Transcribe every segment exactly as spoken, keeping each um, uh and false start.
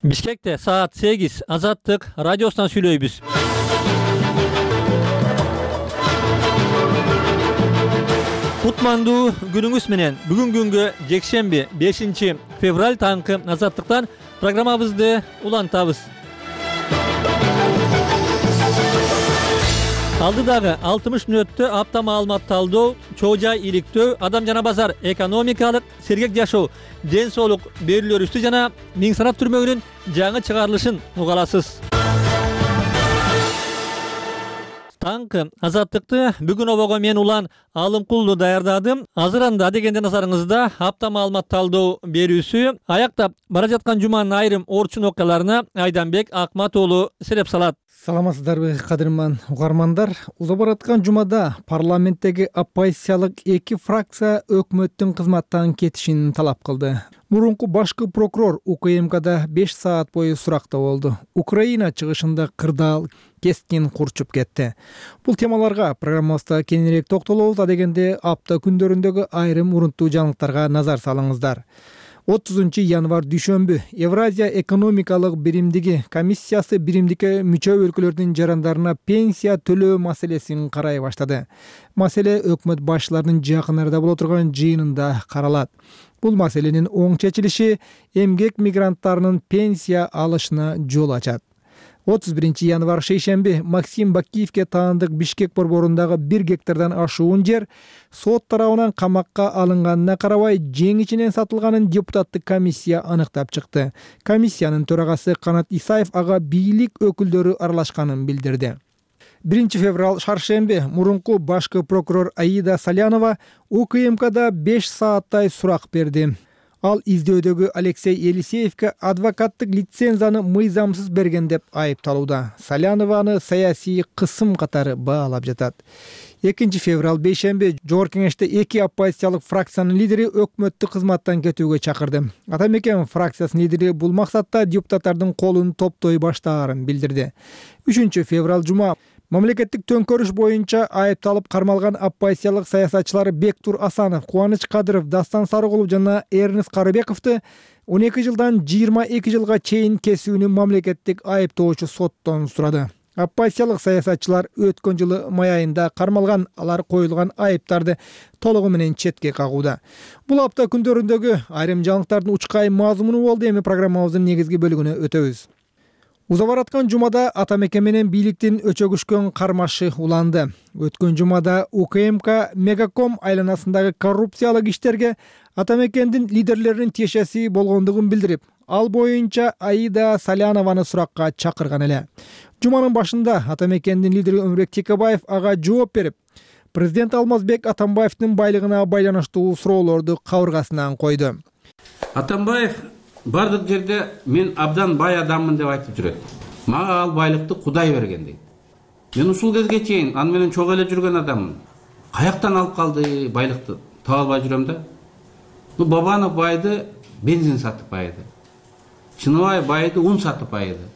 Бишкекте саат сегиз Азаттык радиосунан сүйлөйбүз. Кутмандуу күнүңүз менен. Бүгүн күнгө жекшемби бешинчи февраль таңкы Азаттыктан программабызды улантабыз. Алдыдагы алтымыш мүнөттө апта маалымат талдоо, чоо жай иликтөө, адам жана базар, экономикалык, сергек жашоо, ден соолук берүүлөр үстү жана миң санат түрмөгүнүн жаңы чыгарылышын угаласыз. Таңкы Азаттыкты бүгүн обого мен Улан Алымкулду даярдадым. Азыр анда дегенде назарыңызда апта маалымат талдоо берүүсү аяктап бара жаткан жуманын айрым орчун окуяларына Айданбек Акматоолу сереп салат. Саламатсыздарбы, кадырман угармандар. Уза бараткан жумада парламенттеги оппозициялык эки фракция өкмөттүн кызматтан кетишин талап кылды. Мурунку башкы прокурор УКМКда беш саат бою суракта болду. Украина чыгышында кырдаал кескин курчуп кетти. Бул темаларга программабызда кеңирээк токтолобуз. Адегенде апта күндөрүндөгү айрым урунттуу жаңылыктарга назар салыңыздар. отузунчу январь дүйшөмбү Евразия экономикалык биримдиги комиссиясы биримдикке мүчө өлкөлөрдүн жарандарына пенсия төлөө маселесин карай баштады. Маселе өкмөт башчыларынын жакын арада боло турган жыйынында каралат. Бул маселенин оң чечилиши эмгек мигранттарынын пенсия алышына жол ачат. отуз биринчи январь шейшемби Максим Бакиевке таандык Бишкек борборундагы бир гектардан ашуун жер сот тарабынан камакка алынганына карабай жең ичинен сатылганын депутаттык комиссия аныктап чыкты. Комиссиянын төрагасы Канат Исаев ага бийлик өкүлдөрү аралашканын билдирди. биринчи февраль шаршемби мурунку башкы прокурор Аида Салянова УКМКда беш сааттай сурак берди. Ал издөөдөгү Алексей Елисеевке адвокаттык лицензияны мыйзамсыз берген деп айыпталууда. Салянованы саясий кысым катары баалап жатат. экинчи февраль бейшемби Жогорку кеңеште эки оппозициялык фракциянын лидери өкмөттүк кызматтан кетүүгө чакырды. Атамекен фракциясынын лидери бул максатта депутаттардын колун топтой баштаарын билдирди. үчүнчү февраль жума мамлекеттик төңкөрүш боюнча айыпталып кармалган оппозициялык саясатчылар Бектур Асанов, Кубаныч Кадыров, Дастан Сарыгулов жана Эрнест Карыбековду он эки жылдан жыйырма эки жылга чейин кесүүнү мамлекеттик айыптоочу соттон сурады. Оппозициялык саясатчылар өткөн жылы май айында кармалган, алар коюлган айыптарды толугу менен четке кагууда. Бул апта күндөрүндөгү айрым жаңылыктардын учкай мазмуну болду. Эми программабыздын негизги бөлүгүнө өтөбүз. Уза бараткан жумада атамекен менен бийликтин өчөгүшкөн кармашы уланды. Өткөн жумада УКМК Мегаком айланасындагы коррупциялык иштерге атамекендин лидерлеринин тиешеси болгондугун билдирип, ал боюнча Аида Салянованы суракка чакырган эле. Жуманын башында атамекендин лидери Өмүрбек Текебаев ага жооп берип, президент Алмазбек Атамбаевдин байлыгына байланыштуу суроолорду кабыргасынан койду. Атамбаев бардык жерде мен абдан бай адаммын деп айтып жүрөт. Мага ал байлыкты Кудай берген дейт. Мен ушул кезге чейин аны менен чогуу эле жүргөн адаммын. Каяктан алып калды байлыкты? Таба албай жүрөм да. Ну Бабанов байды бензин сатып байды. Чыныбаев байды ун сатып байды.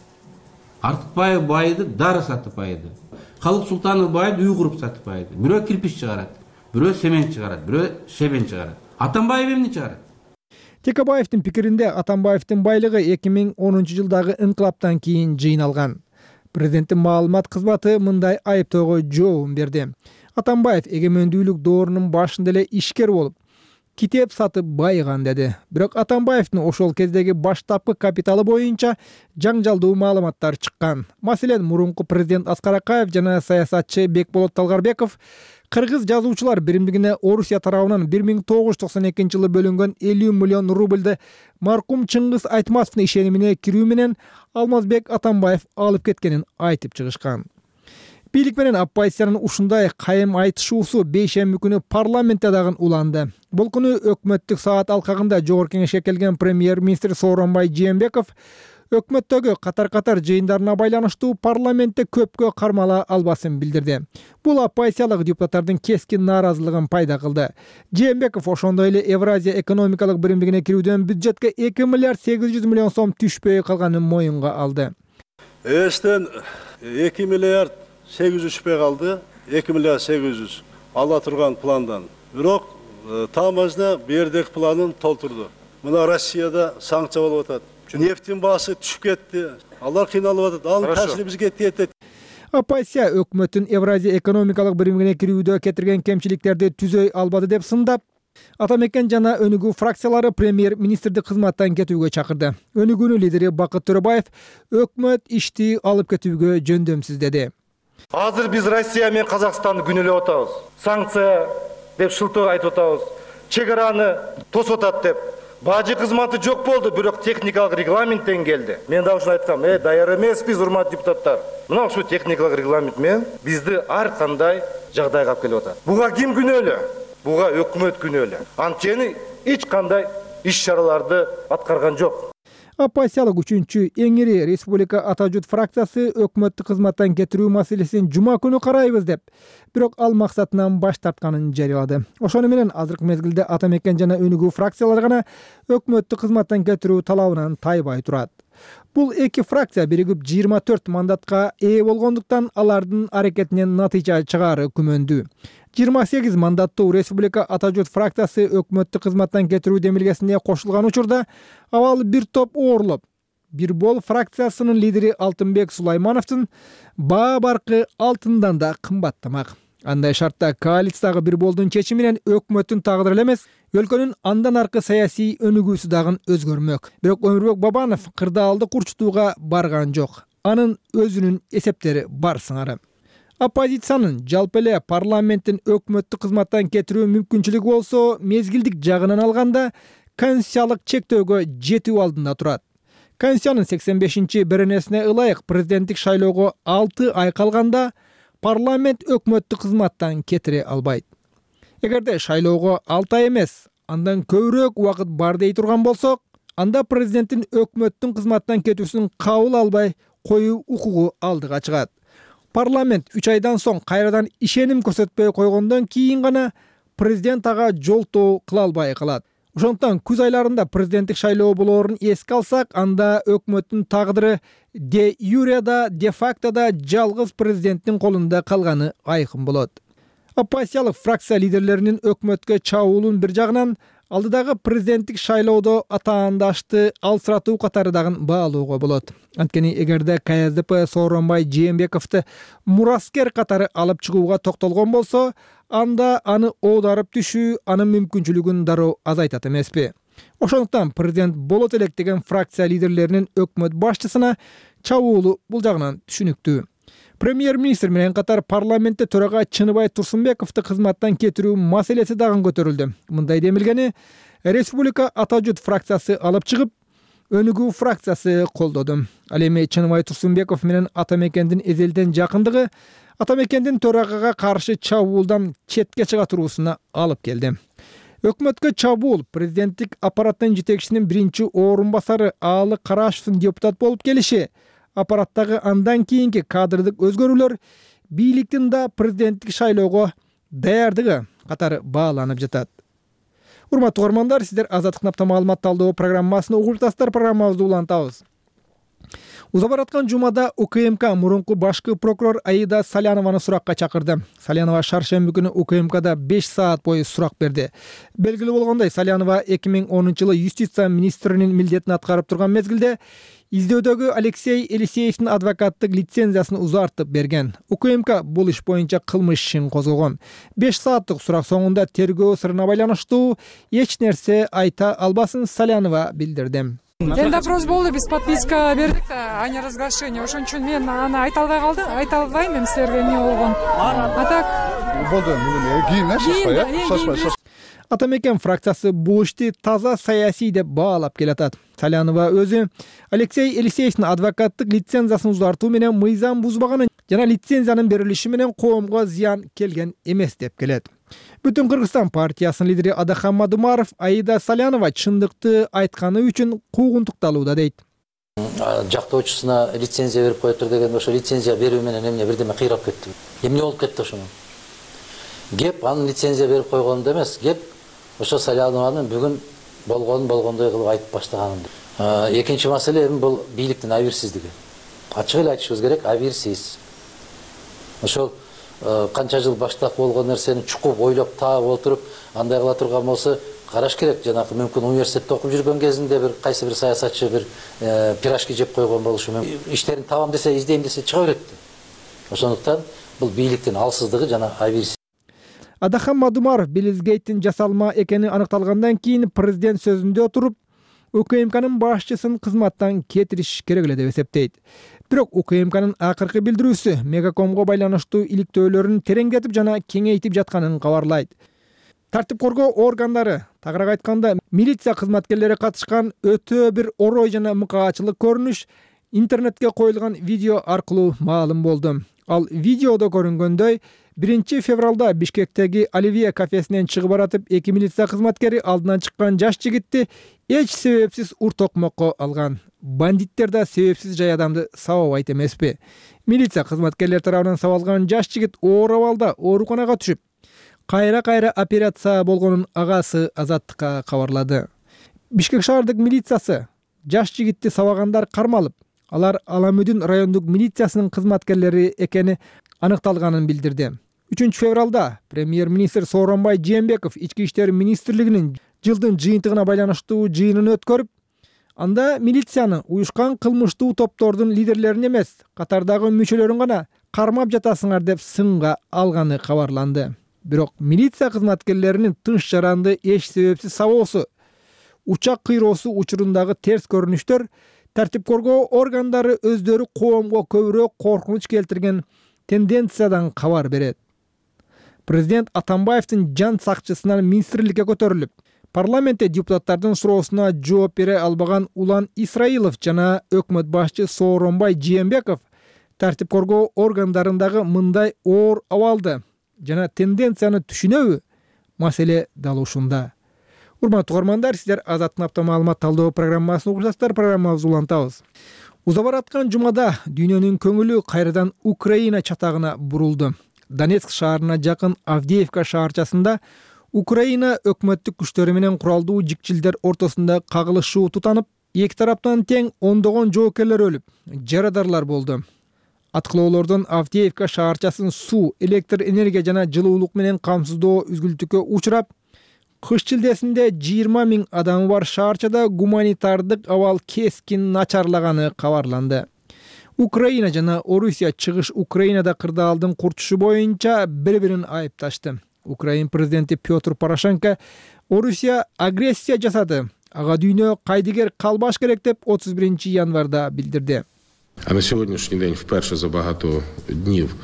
Артыкбаев байды дары сатып байды. Калык Султанов байды үй куруп сатып байды. Бирөө кирпич чыгарат, бирөө семент чыгарат, бирөө шебен чыгарат. Атамбаев эмне чыгарат? Текебаевдин пикиринде Атамбаевдин байлыгы эки миң онунчу жылдагы инкылаптан кийин жыйналган. Президенттин маалымат кызматы мындай айыптоого жооп берди. Атамбаев эгемендүүлүк доорунун башында эле ишкер болуп, китеп сатып байыган деди. Бирок Атамбаевдин ошол кездеги баштапкы капиталы боюнча жаңжалдуу маалыматтар чыккан. Маселен, мурунку президент Аскар Акаев жана саясатчы Бекболот Талгарбеков Кыргыз жазуучулар биримдигине Орусия тарабынан бир миң тогуз жүз токсон экинчи жылы бөлүнгөн элүү миллион рубльды маркум Чыңгыз Айтматовдун ишенимине кирүү менен Алмазбек Атамбаев алып кеткенин айтып чыгышкан. Бийлик менен оппозициянын ушундай кайым айтышуусу бейшемби күнү парламентте дагы уланды. Бул күнү өкмөттүк саат алкагында Жогорку кеңешке келген премьер-министр Сооронбай Жээнбеков өкмөттөгү катар-катар жыйындарына байланыштуу парламентте көпкө кармала албасын билдирди. Бул оппозициялык депутаттардын кескин нааразылыгын пайда кылды. Жээнбеков ошондой эле Евразия экономикалык биримдигине кирүүдөн бюджетке эки миллиард сегиз жүз миллион сом түшпөй калганын моюнга алды. Эстен эки миллиард сегиз жүз түшпөй калды. эки миллиард сегиз жүз ала турган пландан. Бирок таамажда бердек планын толтурду. Мына Россияда санкция болуп атат. нефтин баасы түшүп кетти. Алар кыйналып атат. Анын таасири бизге тиет. Оппозиция өкмөттүн Евразия экономикалык биримине кирүүдө кетирген кемчиликтерди түзөй албады деп сындап, Атамекен жана Өнүгүү фракциялары премьер-министрди кызматтан кетүүгө чакырды. Өнүгүүнүн лидери Бакыт Төрөбаев өкмөт ишти алып кетүүгө жөндөмсүз деди. Азыр биз Россия менен Казакстанды күнөөлөп атабыз. Санкция деп шылтоо айтып атабыз. Чек араны тосуп атат деп. Бажы кызматы жок болду, бирок техникалык регламенттен келди. Мен да ушуну айткам, э, даяр эмеспиз, урматтуу депутаттар. Мына ушул техникалык регламент менен бизди ар кандай жагдайга алып келип атат. Буга ким күнөөлүү? Буга өкмөт күнөөлүү. Анткени эч кандай иш-чараларды аткарган жок. Оппозициялык үчүнчү эң ири Республика Ата журт фракциясы өкмөттү кызматтан кетирүү маселесин жума күнү карайбыз деп, бирок ал максатынан баш тартканын жарыялады. Ошону менен азыркы мезгилде Атамекен жана Өнүгүү фракциялары гана өкмөттү кызматтан кетирүү талабынан тайбай турат. Бул эки фракция биригип жыйырма төрт мандатка ээ болгондуктан алардын аракетинен натыйжа чыгаары күмөндүү. жыйырма сегиз мандаттуу Республика Ата журт фракциясы өкмөттү кызматтан кетирүү демилгесине кошулган учурда абал бир топ оорулуп, Бир бол фракциясынын лидери Алтынбек Сулаймановдун баа баркы алтындан да кымбаттамак. Андай шартта коалициядагы Бир болдун чечими менен өкмөттүн тагдыры эле эмес, өлкөнүн андан аркы саясий өнүгүүсү дагы өзгөрмөк. Бирок Өмүрбек Бабанов кырдаалды курчутууга барган жок. Анын өзүнүн эсептери бар сыңары. Оппозициянын жалпы эле парламенттин өкмөттү кызматтан кетирүү мүмкүнчүлүгү болсо, мезгилдик жагынан алганда конституциялык чектөөгө жетүү алдында турат. Конституциянын сексен бешинчи беренесине ылайык президенттик шайлоого алты ай калганда парламент өкмөттү кызматтан кетире албайт. Эгерде шайлоого алты ай эмес, андан көбүрөөк убакыт бар дей турган болсок, анда президенттин өкмөттүн кызматтан кетүүсүн кабыл албай коюу укугу алдыга чыгат. Парламент үч айдан соң кайрадан ишеним көрсөтпөй койгондон кийин гана президент ага жолтоо кыла албай калат. Ошондуктан күз айларында президенттик шайлоо болоорун эске алсак, анда өкмөттүн тагдыры де юре да, де факто да жалгыз президенттин колунда калганы айкын болот. Оппозициялык фракция лидерлеринин өкмөткө чабуулун бир жагынан алдыдагы президенттик шайлоодо атаандашты алсыратуу катары дагы баалоого болот. Анткени эгерде ка эс де пэ Сооронбай Жээнбековду мураскер катары алып чыгууга токтолгон болсо, анда аны оодарып түшүү анын мүмкүнчүлүгүн дароо азайтат эмеспи? Ошондуктан президент болот элек деген фракция лидерлеринин өкмөт башчысына чабуулу бул жагынан түшүнүктүү. Премьер-министр менен катар парламентте төрага Чыныбай Турсунбековду кызматтан кетирүү маселеси дагы көтөрүлдү. Мындай демилгени Республика Ата журт фракциясы алып чыгып, Өнүгүү фракциясы колдоду. Ал эми Чыныбай Турсунбеков менен Атамекендин эзелден жакындыгы Атамекендин төрагага каршы чабуулдан четке чыга туруусуна алып келди. Өкмөткө чабуул президенттик аппараттын жетекчисинин биринчи орун басары Аалы Карашевдин депутат болуп келиши, аппараттагы андан кийинки кадрдык өзгөрүүлөр бийликтин да президенттик шайлоого даярдыгы катары бааланып жатат. Урматтуу угармандар, сиздер Азаттык Напта маалымат талдоо программасын угуп жатасыздар. Программабызды улантабыз. Уза бараткан жумада У К М К мурунку башкы прокурор Аида Салянованы суракка чакырды. Салянова шаршемби күнү У К М Кда беш саат бою сурак берди. Белгилүү болгондой, Салянова эки миң онунчу жылы юстиция министринин милдетин аткарып турган мезгилде издөөдөгү Алексей Елисеевдин адвокаттык лицензиясын узартып берген. У К М К бул иш боюнча кылмыш ишин козгогон. беш сааттык сурак соңунда тергөө сырына байланыштуу эч нерсе айта албасын Салянова билдирди. Эң допрос болду, биз подписка бердик да, а не разглашение. Ошон үчүн мен аны айта албай калдым, айта албайм эми силерге эмне болгон. А так болду, кийин шашпай, шашпай. Атамекен фракциясы бул ишти таза саясий деп баалап келатат. Салянова өзү Алексей Елисеевдин адвокаттык лицензиясын узартуу менен мыйзам бузбаганын жана лицензиянын берилиши менен коомго зыян келген эмес деп келет. Бүтүн Кыргызстан партиясынын лидери Адахан Мадумаров Аида Салянова чындыкты айтканы үчүн куугунтукталууда дейт. Жактоочусуна лицензия берип коюптур деген, ошо лицензия берүү менен эмне бирдеме кыйрап кетти. Эмне болуп кетти ошону? Кеп анын лицензия берип койгонунда эмес, кеп ошо Салянованын бүгүн болгонун болгондой кылып айтып баштаганын. Экинчи маселе эми бул бийликтин абийирсиздиги. Ачык эле айтышыбыз керек, абийирсиз. Ошол канча жыл баштап болгон нерсени чукуп ойлоп таап отуруп андай кыла турган болсо, караш керек. Жанагы мүмкүн университетте окуп жүргөн кезинде бир кайсы бир саясатчы бир пирожки жеп койгон болушу мүмкүн. Иштерин табам десе, издейм десе чыга берет. Ошондуктан бул бийликтин алсыздыгы жана абийирсиздиги. Адахан Мадумаров Белизгейттин жасалма экени аныкталгандан кийин президент сөзүндө отуруп, УКМКнын башчысын кызматтан кетириш керек эле деп эсептейт. Бирок УКМКнын акыркы билдирүүсү Мегакомго байланыштуу иликтөөлөрүн тереңдетип жана кеңейтип жатканын кабарлайт. Тартип коргоо органдары, тагыраак айтканда милиция кызматкерлери катышкан өтө бир орой жана мыкаачылык көрүнүш интернетке коюлган видео аркылуу маалым болду. Ал видеодо көрүнгөндөй, биринчи февралда Бишкектеги Оливье кафесинен чыгып баратып, эки милиция кызматкери алдынан чыккан жаш жигитти эч себепсиз уртокмокко алган. Бандиттер да себепсиз жай адамды сабабайт эмеспи? Милиция кызматкерлери тарабынан сабалган жаш жигит оор абалда ооруканага түшүп, кайра-кайра операция болгонун агасы Азаттыкка кабарлады. Бишкек шаардык милициясы жаш жигитти сабагандар кармалып, алар Аламүдүн райондук милициясынын кызматкерлери экени аныкталганын билдирди. үчүнчү февралда премьер-министр Сооронбай Жээнбеков Ички иштер министрлигинин жылдын жыйынтыгына байланыштуу жыйынын өткөрүп, анда милицияны уюшкан кылмыштуу топтордун лидерлерин эмес, катардагы мүчөлөрүн гана кармап жатасыңар деп сынга алганы кабарланды. Бирок милиция кызматкерлеринин тынч жаранды эч себепсиз сабоосу, учак кыйроосу учурундагы терс көрүнүштөр тартип коргоо органдары өздөрү коомго көбүрөөк коркунуч келтирген тенденциядан кабар берет. Президент Атамбаевдин жан сакчысынан министрликке көтөрүлүп, парламентте депутаттардын суроосуна жооп бере албаган Улан Исраилов жана өкмөт башчы Сооронбай Жээнбеков тартип коргоо органдарындагы мындай оор абалды жана тенденцияны түшүнөбү? Маселе дал ушунда. Урматтуу угармандар, сиздер Азаттын апта маалымат талдоо программасын угушасыздар. Программабызды улантабыз. Уза бараткан жумада дүйнөнүн көңүлү кайрадан Украина чатагына бурулду. Донецк шаарына жакын Авдеевка шаарчасында Украина өкмөттүк күчтөрү менен куралдуу жикчилдер ортосунда кагылышуу тутанып, эки тараптан тең ондогон жоокерлер өлүп, жарадарлар болду. Аткылоолордон Авдеевка шаарчасын суу, электр энергия жана жылуулук менен камсыздоо үзгүлтүккө учурап, кыш чилдесинде жыйырма миң адамы бар шаарчада гуманитардык абал кескин начарлаганы кабарланды. Украина жана Орусия чыгыш Украинада кырдаалдын курчушу боюнча бири-бирин айыпташты. Украин президенти Петр Порошенко Орусия агрессия жасады, ага дүйнө кайдыгер калбаш керек деп отуз биринчи январда билдирди. А на сьогоднішній день вперше за багато днів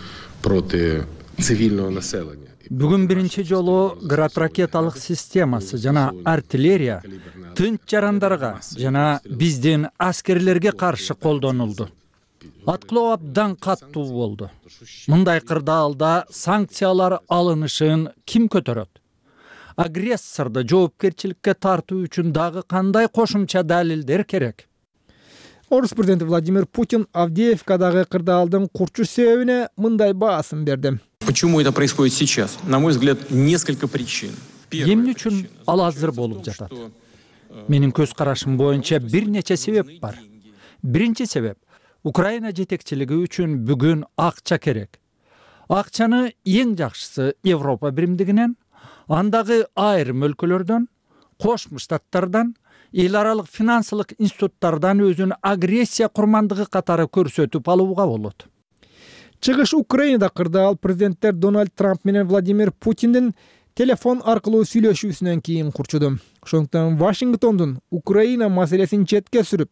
проти цивільного населення. Бүгүн биринчи жолу град ракеталык системасы жана артиллерия тынч жарандарга жана биздин аскерлерге каршы колдонулду. Аткылоо абдан каттуу болду. Мындай кырдаалда санкциялар алынышын ким көтөрөт? Агрессорду жоопкерчиликке тартуу үчүн дагы кандай кошумча далилдер керек? Орус президенти Владимир Путин Авдеевкадагы кырдаалдын курчуш себебине мындай баасын берди. Почему это происходит сейчас? На мой взгляд, несколько причин. Эмне үчүн ал азыр болуп жатат? Менин көз карашым боюнча бир нече себеп бар. Биринчи себеп Украина жетекчилиги үчүн бүгүн акча керек. Акчаны эң жакшысы Европа биримдигинен, андагы айрым өлкөлөрдөн, Кошмо Штаттардан, эл аралык финансылык институттардан өзүн агрессия курмандыгы катары көрсөтүп алууга болот. Чыгыш Украинада кырдаал президенттер Дональд Трамп менен Владимир Путиндин телефон аркылуу сүйлөшүүсүнөн кийин курчуду. Ошондуктан Вашингтондун Украина маселесин четке сүрүп,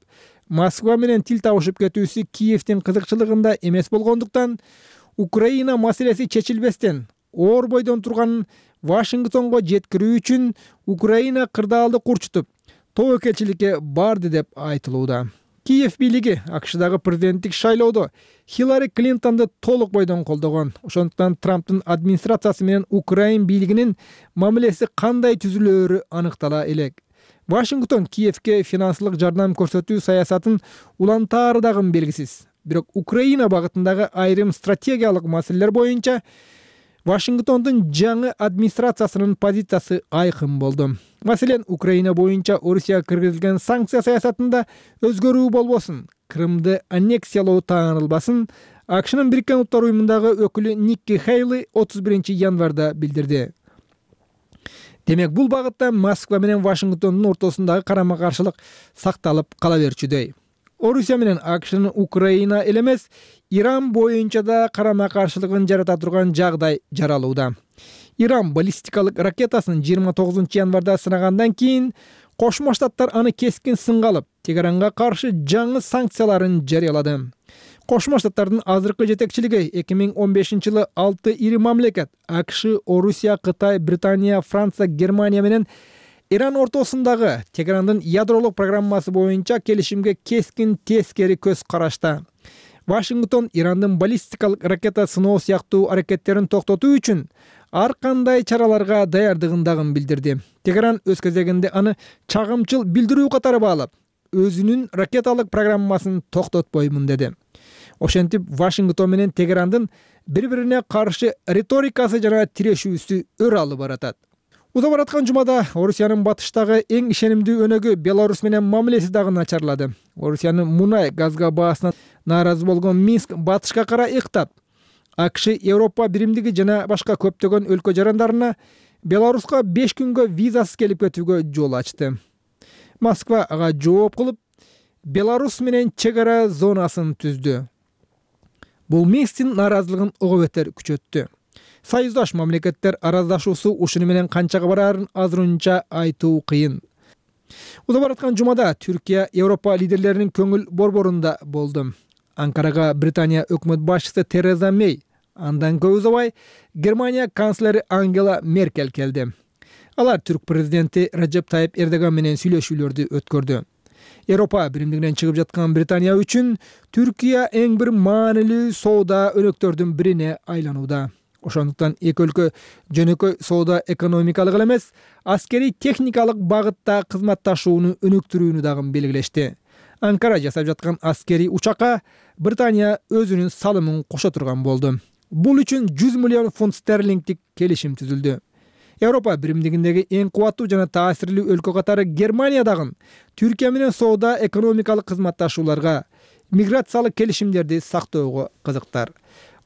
Москва менен тил табышып кетүүсү Киевдин кызыкчылыгында эмес болгондуктан, Украина маселеси чечилбестен оор бойдон турганын Вашингтонго жеткирүү үчүн Украина кырдаалды курчутуп, тобокелчиликке барды деп айтылууда. Киев бийлиги АКШдагы президенттик шайлоодо Хиллари Клинтонду толук бойдон колдогон. Ошондуктан Трамптын администрациясы менен Украин бийлигинин мамилеси кандай түзүлөөрү аныктала элек. Вашингтон Киевке финансылык жардам көрсөтүү саясатын улантаары дагы белгисиз. Бирок Украина багытындагы айрым стратегиялык маселелер боюнча Вашингтондун жаңы администрациясынын позициясы айкын болду. Маселен, Украина боюнча Орусияга киргизилген санкция саясатында өзгөрүү болбосун, Крымды аннексиялоо таанылбасын, АКШнын Бириккен Улуттар уюмундагы өкүлү Никки Хейли отуз биринчи январда билдирди. Демек бул багытта Москва менен Вашингтондун ортосундагы карама-каршылык сакталып кала берчүдөй. Орусия менен АКШнын Украина эле эмес, Иран боюнча да карама-каршылыгын жарата турган жагдай жаралууда. Иран баллистикалык ракетасын жыйырма тогузунчу январда сынагандан кийин Кошмо Штаттар аны кескин сынга алып, Тегеранга каршы жаңы санкцияларын жарыялады. Кошмо Штаттардын азыркы жетекчилиги эки миң он бешинчи жылы алты ири мамлекет АКШ, Орусия, Кытай, Британия, Франция, Германия менен Иран ортосундагы Тегерандын ядролук программасы боюнча келишимге кескин тескери көз карашта. Вашингтон Ирандын баллистикалык ракета сыноо сыяктуу аракеттерин токтотуу үчүн ар кандай чараларга даярдыгын дагы билдирди. Тегеран өз кезегинде аны чагымчыл билдирүү катары баалап, өзүнүн ракеталык программасын токтотпоймун деди. Ошентип Вашингтон менен Тегерандын бири-бирине каршы риторикасы жана тирешүүсү өр алып баратат. Уза бараткан жумада Орусиянын батыштагы эң ишенимдүү өнөгү Беларусь менен мамилеси дагы начарлады. Орусиянын мунай газга баасынан нааразы болгон Минск батышка карай ыктап, АКШ, Европа биримдиги жана башка көптөгөн өлкө жарандарына Беларуска беш күнгө визасыз келип кетүүгө жол ачты. Москва ага жооп кылып, Беларусь менен чек ара зонасын түздү. Бул Минсктин нааразылыгын ого бетер күчөттү. Союздаш мамлекеттер араздашуусу ушуну менен канчага барарын азырынча айтуу кыйын. Уза бараткан жумада Түркия Европа лидерлеринин көңүл борборунда болду. Анкарага Британия өкмөт башчысы Тереза Мей, андан көп узабай Германия канцлери Ангела Меркель келди. Алар түрк президенти Режеп Тайип Эрдоган менен сүйлөшүүлөрдү өткөрдү. Европа биримдигинен чыгып жаткан Британия үчүн Түркия эң бир маанилүү соода өнөктөрдүн бирине айланууда. Ошондуктан эки өлкө жөнөкөй соода экономикалык эле эмес, аскерий техникалык багытта кызматташууну өнүктүрүүнү дагы белгилешти. Анкара жасап жаткан аскерий учакка Британия өзүнүн салымын кошо турган болду. Бул үчүн жүз миллион фунт стерлингдик келишим түзүлдү. Европа биримдигиндеги эң кубаттуу жана таасирлүү өлкө катары Германия дагы Түркия менен соода экономикалык кызматташууларга, миграциялык келишимдерди сактоого кызыктар.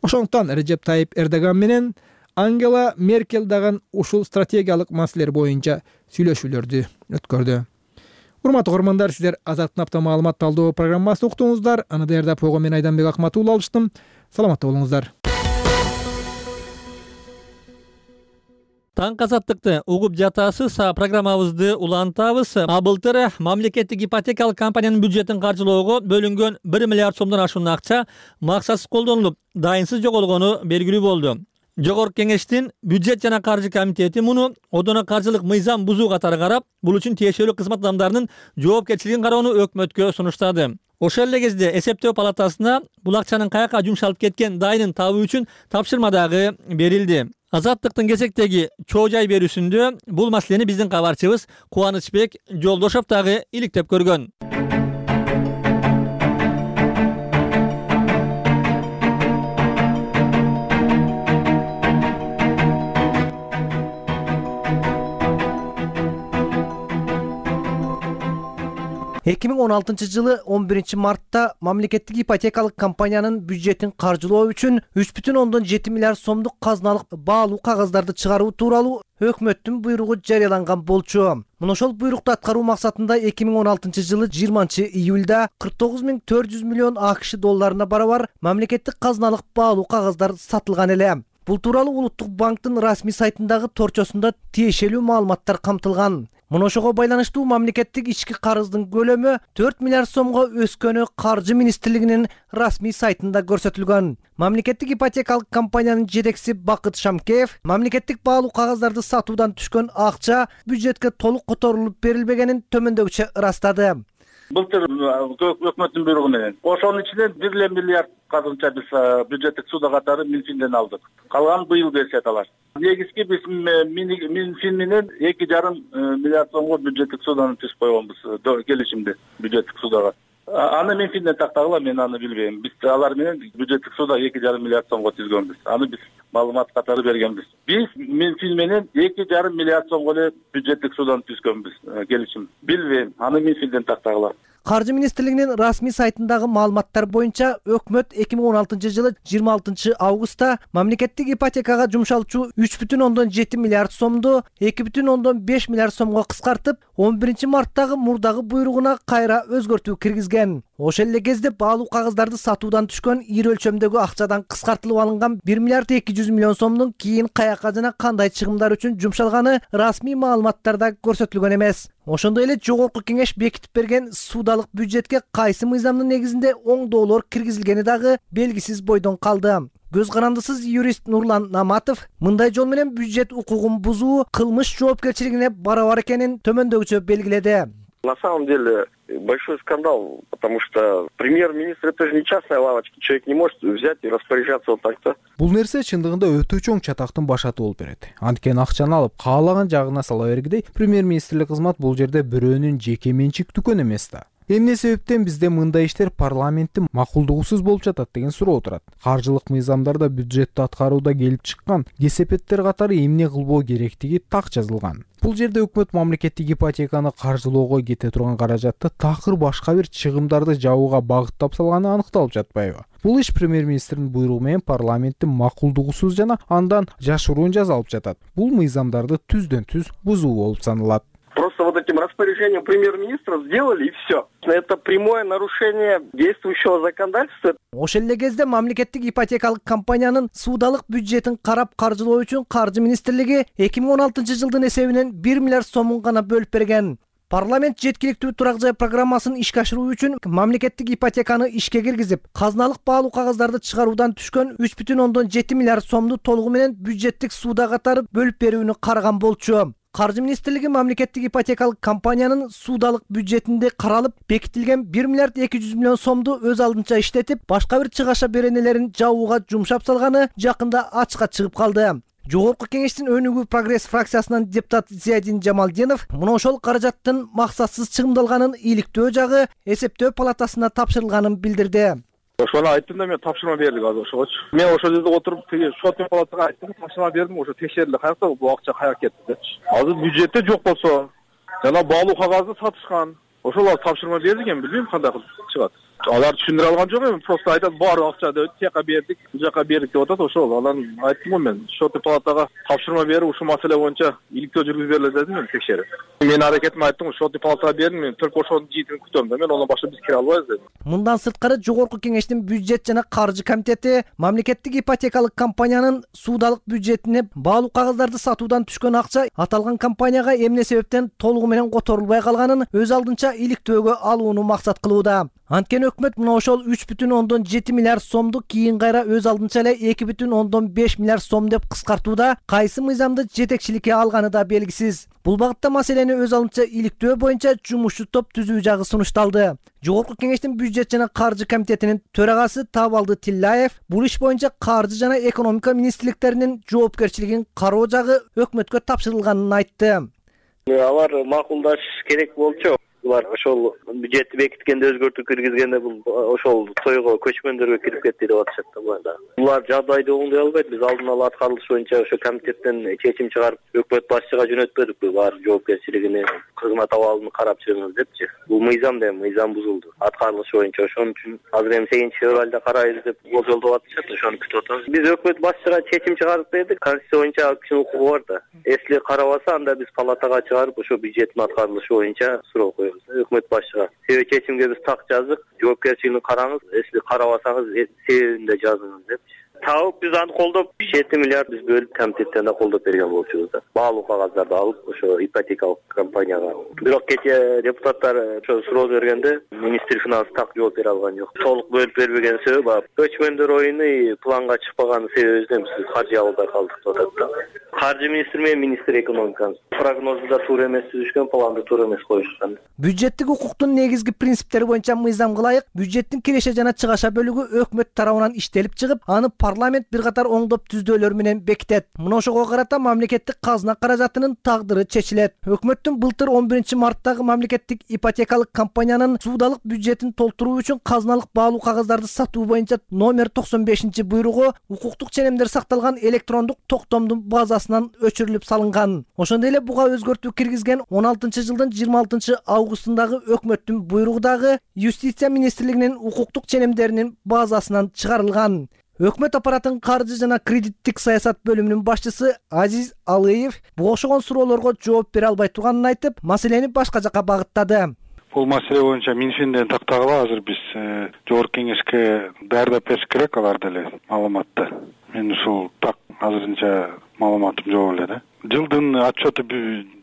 Ошондуктан Режеп Тайип Эрдоган менен Ангела Меркель дагы ушул стратегиялык маселелер боюнча сүйлөшүүлөрдү өткөрдү. Урматтуу көрөрмандар, сиздер Азаттын апта маалымат талдоо программасын уктуңуздар. Аны даярдап койгон мен Айданбек Акматулла алыштым. Саламатта болуңуздар. Таң азаттыкты угуп жатасыз, программабызды улантабыз. А былтыр мамлекеттик ипотекалык компаниянын бюджетин каржылоого бөлүнгөн бир миллиард сомдон ашуун акча максатсыз колдонулуп, дайынсыз жоголгону белгилүү болду. Жогорку кеңештин бюджет жана каржы комитети муну одоно каржылык мыйзам бузуу катары карап, бул үчүн тиешелүү кызмат адамдарынын жоопкерчилигин кароону өкмөткө сунуштады. Ошол эле кезде эсептөө палатасына бул акчанын каяка жумшалып кеткен дайынын табуу үчүн тапшырма дагы берилди. Азаттыктын кезектеги чоо жай берүүсүндө бул маселени биздин кабарчыбыз Кубанычбек Жолдошов дагы иликтеп көргөн. эки миң он алтынчы жылы он биринчи мартта мамлекеттик ипотекалык компаниянын бюджетин каржылоо үчүн үч бүтүн ондон жети миллиард сомдук казыналык баалуу кагаздарды чыгаруу тууралуу өкмөттүн буйругу жарыяланган болчу. Мына ошол буйрукту аткаруу максатында эки миң он алтынчы жылы жыйырманчы июлда кырк тогуз миң төрт жүз миллион АКШ долларына барабар мамлекеттик казыналык баалуу кагаздар сатылган эле. Бул тууралуу Улуттук банктын расмий сайтындагы торчосунда тиешелүү маалыматтар камтылган. Мына ошого байланыштуу мамлекеттик ички карыздын көлөмү төрт миллиард сомго өскөнү Каржы министрлигинин расмий сайтында көрсөтүлгөн. Мамлекеттик ипотекалык компаниянын жетекчиси Бакыт Шамкеев мамлекеттик баалуу кагазздарды сатуудан түшкөн акча бюджетке толук которулуп берилбегенин төмөндөгүчө ырастады. Былтыр өкмөттүн буйругу менен ошонун ичинен бир эле миллиард казынча биз бюджеттик суда катары Минфинден алдык. Калган быйыл беришет алар. Негизги биз Минфин менен эки жарым миллиард сомго бюджеттик суданы түзүп койгонбуз келишимди бюджеттик судага. Аны Минфинден тактагыла, мен аны билбейм. Биз алар менен бюджеттик суда эки жарым миллиард сомго түзгөнбүз. Аны биз маалымат катары бергенбиз. Биз Минфин менен эки жарым миллиард сомго эле бюджеттик суданы түзгөнбүз келишим. Билбейм, аны Минфинден тактагыла. Каржы министрлигинин расмий сайтындагы маалыматтар боюнча өкмөт эки миң он алтынчы жылы жыйырма алтынчы августта мамлекеттик ипотекага жумшалчу үч бүтүн ондон жети миллиард сомду эки бүтүн ондон беш миллиард сомго кыскартып, он биринчи марттагы мурдагы буйругуна кайра өзгөртүү киргизген. Ошол эле кезде баалуу кагаздарды сатуудан түшкөн ири өлчөмдөгү акчадан кыскартылып алынган бир миллиард эки жүз миллион сомдун кийин каяка жана кандай чыгымдар үчүн жумшалганы расмий маалыматтарда көрсөтүлгөн эмес. Ошондой эле жогорку кеңеш бекитип берген суудалык бюджетке кайсы мыйзамдын негизинде оңдоолор киргизилгени дагы белгисиз бойдон калды. Көз карандысыз юрист Нурлан Наматов мындай жол менен бюджет укугун бузуу кылмыш жоопкерчилигине барабар экенин төмөндөгүчө белгиледи. На самом деле большой скандал, потому что премьер-министр это же не частная лавочка, человек не может взять и распоряжаться вот так-то. Бул нерсе чындыгында өтө чоң чатактын башаты болуп берет. Анткени акчаны алып каалаган жагына сала бергидей, премьер-министрлик кызмат бул жерде бирөөнүн жеке менчик дүкөнү эмес да. Эмне себептен бизде мындай иштер парламенттин макулдугусуз болуп жатат деген суроо турат. Каржылык мыйзамдарда бюджетти аткарууда келип чыккан кесепеттер катары эмне кылбоо керектиги так жазылган. Бул жерде өкмөт мамлекеттик ипотеканы каржылоого кете турган каражатты такыр башка бир чыгымдарды жабууга багыттап салганы аныкталып жатпайбы? Бул иш премьер-министрдин буйругу менен парламенттин макулдугусуз жана андан жашыруун жазалып жатат. Бул мыйзамдарды түздөн түз бузуу болуп саналат. Просто вот этим распоряжением премьер-министра сделали и все. Это прямое нарушение действующего законодательства. Ошол эле кезде мамлекеттик ипотекалык компаниянын суудалык бюджетин карап каржылоо үчүн Каржы министрлиги эки миң он алтынчы жылдын эсебинен бир миллиард сомун гана бөлүп берген. Парламент жеткиликтүү турак жай программасын ишке ашыруу үчүн мамлекеттик ипотеканы ишке киргизип, казыналык баалуу кагаздарды чыгаруудан түшкөн үч бүтүн ондон жети миллиард сомду толугу менен бюджеттик сууда катары бөлүп берүүнү караган болчу. Каржы министрлиги мамлекеттик ипотекалык компаниянын суудалык бюджетинде каралып бекитилген бир миллиард эки жүз миллион сомду өз алдынча иштетип, башка бир чыгаша беренелерин жабууга жумшап салганы жакында ачыкка чыгып калды. Жогорку кеңештин өнүгүү прогресс фракциясынан депутат Зиядин Жамалдинов мына ошол каражаттын максатсыз чыгымдалганын иликтөө жагы эсептөө палатасына тапшырылганын билдирди. Ошону айттым да, мен тапшырма бердик азыр ошогочу. Мен ошол жерде отуруп, тиги шотный палатага айттым, тапшырма бердим, ошо текшерилди, каякта бул акча каяка кетти депчи. Азыр бюджетте жок болсо, жана баалуу кагазды сатышкан. Ошолор тапшырма берди экен, билбейм кандай кылып чыгат. Алар түшүндүрө алган жок эми, просто айтат баары акча деп тияка бердик, бул жака бердик деп атат. Ошол аларын айттым го мен. Шотный палатага тапшырма берип, ушул маселе боюнча иликтөө жүргүзүп бериле дедим мен текшерип. Мен аракетимди айттым, шотный палатага бердим, мен только ошонун жыйытын күтөм да, мен андан башка биз кире албайбыз дедим. Мындан сырткары жогорку кеңештин бюджет жана каржы комитети мамлекеттик ипотекалык компаниянын суудалык бюджетине баалуу кагаздарды сатуудан түшкөн акча аталган компанияга эмне себептен толугу менен которулбай калганын өз алдынча иликтөөгө алууну максат кылууда. Анткени өкмөт мына ошол үч бүтүн ондон жети миллиард сомду кийин кайра өз алдынча эле эки бүтүн ондон беш миллиард сом деп кыскартууда кайсы мыйзамды жетекчиликке алганы да белгисиз. Бул багытта маселени өз алдынча иликтөө боюнча жумушчу топ түзүү жагы сунушталды. Жогорку кеңештин бюджет жана каржы комитетинин төрагасы Табалды Тиллаев бул иш боюнча каржы жана экономика министрликтеринин жоопкерчилигин кароо жагы өкмөткө тапшырылганын айтты. Алар макулдаш керек болчу. Булар ошол бюджетти бекиткенде өзгөртүү киргизгенде бул ошол тойго көчкөндөргө кирип кетти деп атышат да буларда. Булар жагдайды оңдой албайт. Биз алдын ала аткарылыш боюнча ошо комитеттен чечим чыгарып, өкмөт башчыга жөнөтпөдүк. Булар жоопкерчилигини, кызмат абалын карап чыгыңыз депчи. Бул мыйзам да мыйзам бузулду. Аткарылыш боюнча ошон үчүн азыр эми сегизинчи февралда карайбыз деп болжолдоп атышат. Ошону күтүп атабыз. Биз өкмөт башчыга чечим чыгарып бердик. Конституция боюнча кишинин укугу бар да. Если карабаса, анда биз палатага чыгарып ошо бюджеттин аткарылышы боюнча суроо коебуз. Өкмөт башчыга себеп чечимге биз так жаздык, жоопкерчилигин караңыз, если карабасаңыз себебин да жазыңыз депчи. Табып биз аны колдоп жети миллиард биз бөлүп комитеттен да колдоп берген болчубуз да. Баалуу кагаздарды алып ошо ипотекалык компанияга. Бирок кечээ депутаттар ошо суроо бергенде министр финанс так жооп бере алган жок. Толук бөлүп бербеген себеби көчмөндөр оюну планга чыкпаган себебинен биз каржы албай калдык деп атат да. Каржы министри менен министр экономикасы прогнозду да туура эмес түзүшкөн, планды туура эмес коюшкан. Бюджеттик укуктун негизги принциптери боюнча мыйзамга ылайык бюджеттин киреше жана чыгаша бөлүгү өкмөт тарабынан иштелип чыгып, аны парламент бир катар оңдоп түздөөлөр менен бекитет. Мына ошого карата мамлекеттик казына каражатынын тагдыры чечилет. Өкмөттүн былтыр он биринчи марттагы мамлекеттик ипотекалык компаниянын суудалык бюджетин толтуруу үчүн казыналык баалуу кагаздарды сатуу боюнча номер токсон бешинчи буйругу укуктук ченемдер сакталган электрондук токтомдун базасынан өчүрүлүп салынган. Ошондой эле буга өзгөртүү киргизген он алтынчы жылдын жыйырма алтынчы августундагы өкмөттүн буйругу дагы Юстиция министрлигинин укуктук ченемдеринин базасынан чыгарылган. Өкмөт аппаратынын каржы жана кредиттик саясат бөлүмүнүн башчысы Азиз Алыев буга окшогон суроолорго жооп бере албай турганын айтып, маселени башка жакка багыттады. Бул маселе боюнча Минфинден тактагыла азыр биз жогорку кеңешке даярдап бериш керек алар деле маалыматты. Мен ушул так азырынча маалыматым жок эле да. Жылдын отчету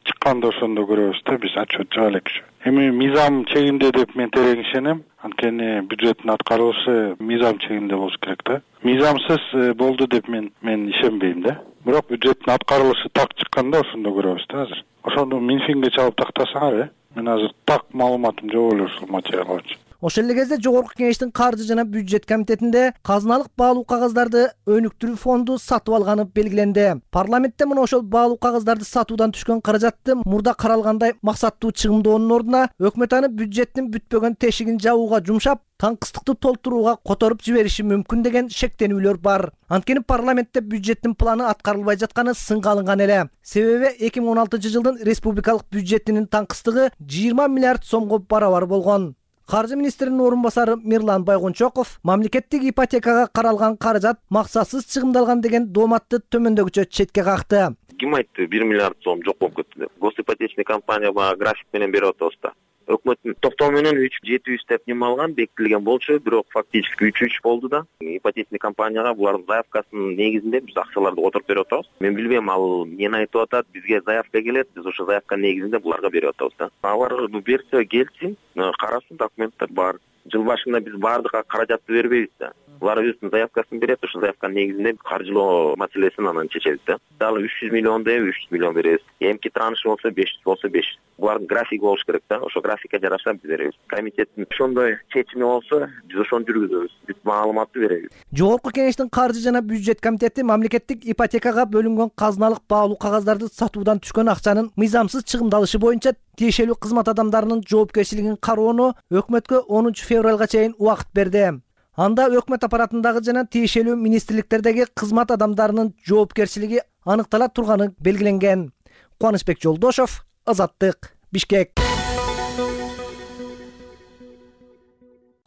чыкканда ошондо көрөбүз да, биз отчет жаба элекчү. Эми мыйзам чегинде деп мен терең ишенем. Анткени бюджеттин аткарылышы мыйзам чегинде болуш керек да. Мыйзамсыз болду деп мен мен ишенбейм да. Бирок бюджеттин аткарылышы так чыкканда ошондо көрөбүз да азыр. Ошондо Минфинге чалып тактасаңар, э? Мен азыр так маалыматым жок эле ушул материал боюнча. Ошол эле кезде жогорку кеңештин каржы жана бюджет комитетинде казыналык баалуу кагаздарды өнүктүрүү фонду сатып алганы белгиленди. Парламентте мына ошол баалуу кагаздарды сатуудан түшкөн каражатты мурда каралгандай максаттуу чыгымдоонун ордуна өкмөт аны бюджеттин бүтпөгөн тешигин жабууга жумшап, таңкыстыкты толтурууга которуп жибериши мүмкүн деген шектенүүлөр бар. Анткени парламентте бюджеттин планы аткарылбай жатканы сынга алынган эле. Себеби эки миң он алтынчы жылдын республикалык бюджетинин таңкыстыгы жыйырма миллиард сомго барабар болгон. Каржы министринин орун басары Мирлан Байгончоков мамлекеттик ипотекага каралган каражат максатсыз чыгымдалган деген дооматты төмөндөгүчө четке какты. Ким айтты бир миллиард сом жок болуп кетти деп. Госипотечный компания бага график менен берип атабыз да. Өкмөттүн токтоо менен үч жети жүз деп неме алган, бекитилген болчу, бирок фактически үч үч болду да. Ипотечный компанияга булардын заявкасынын негизинде биз акчаларды отуруп берип атабыз. Мен билбейм ал эмнени айтып атат, бизге заявка келет, биз ошо заявка негизинде буларга берип атабыз да. Алар берсе келсин, карасын, документтер бар. Жыл башында биз баардыгына каражатты бербейбиз да. Булар өзүнүн заявкасын берет, ошо заявканын негизинде каржылоо маселесин анан чечебиз да. Дагы үч жүз миллион деп үч жүз миллион беребиз. Эмки транш болсо беш жүз болсо беш жүз. Булардын графиги болуш керек да. Ошо графикке жараша биз беребиз. Комитеттин ошондой чечими болсо, биз ошону жүргүзөбүз. Бүт маалыматты беребиз. Жогорку кеңештин каржы жана бюджет комитети мамлекеттик ипотекага бөлүнгөн казыналык баалуу кагаздарды сатуудан түшкөн акчанын мыйзамсыз чыгымдалышы боюнча тиешелүү кызмат адамдарынын жоопкерчилигин кароону өкмөткө онунчу февралга чейин убакыт берди. Анда өкмөт аппаратындагы жана тиешелүү министрликтердеги кызмат адамдарынын жоопкерчилиги аныктала турганы белгиленген. Кубанычбек Жолдошов, Азаттык, Бишкек.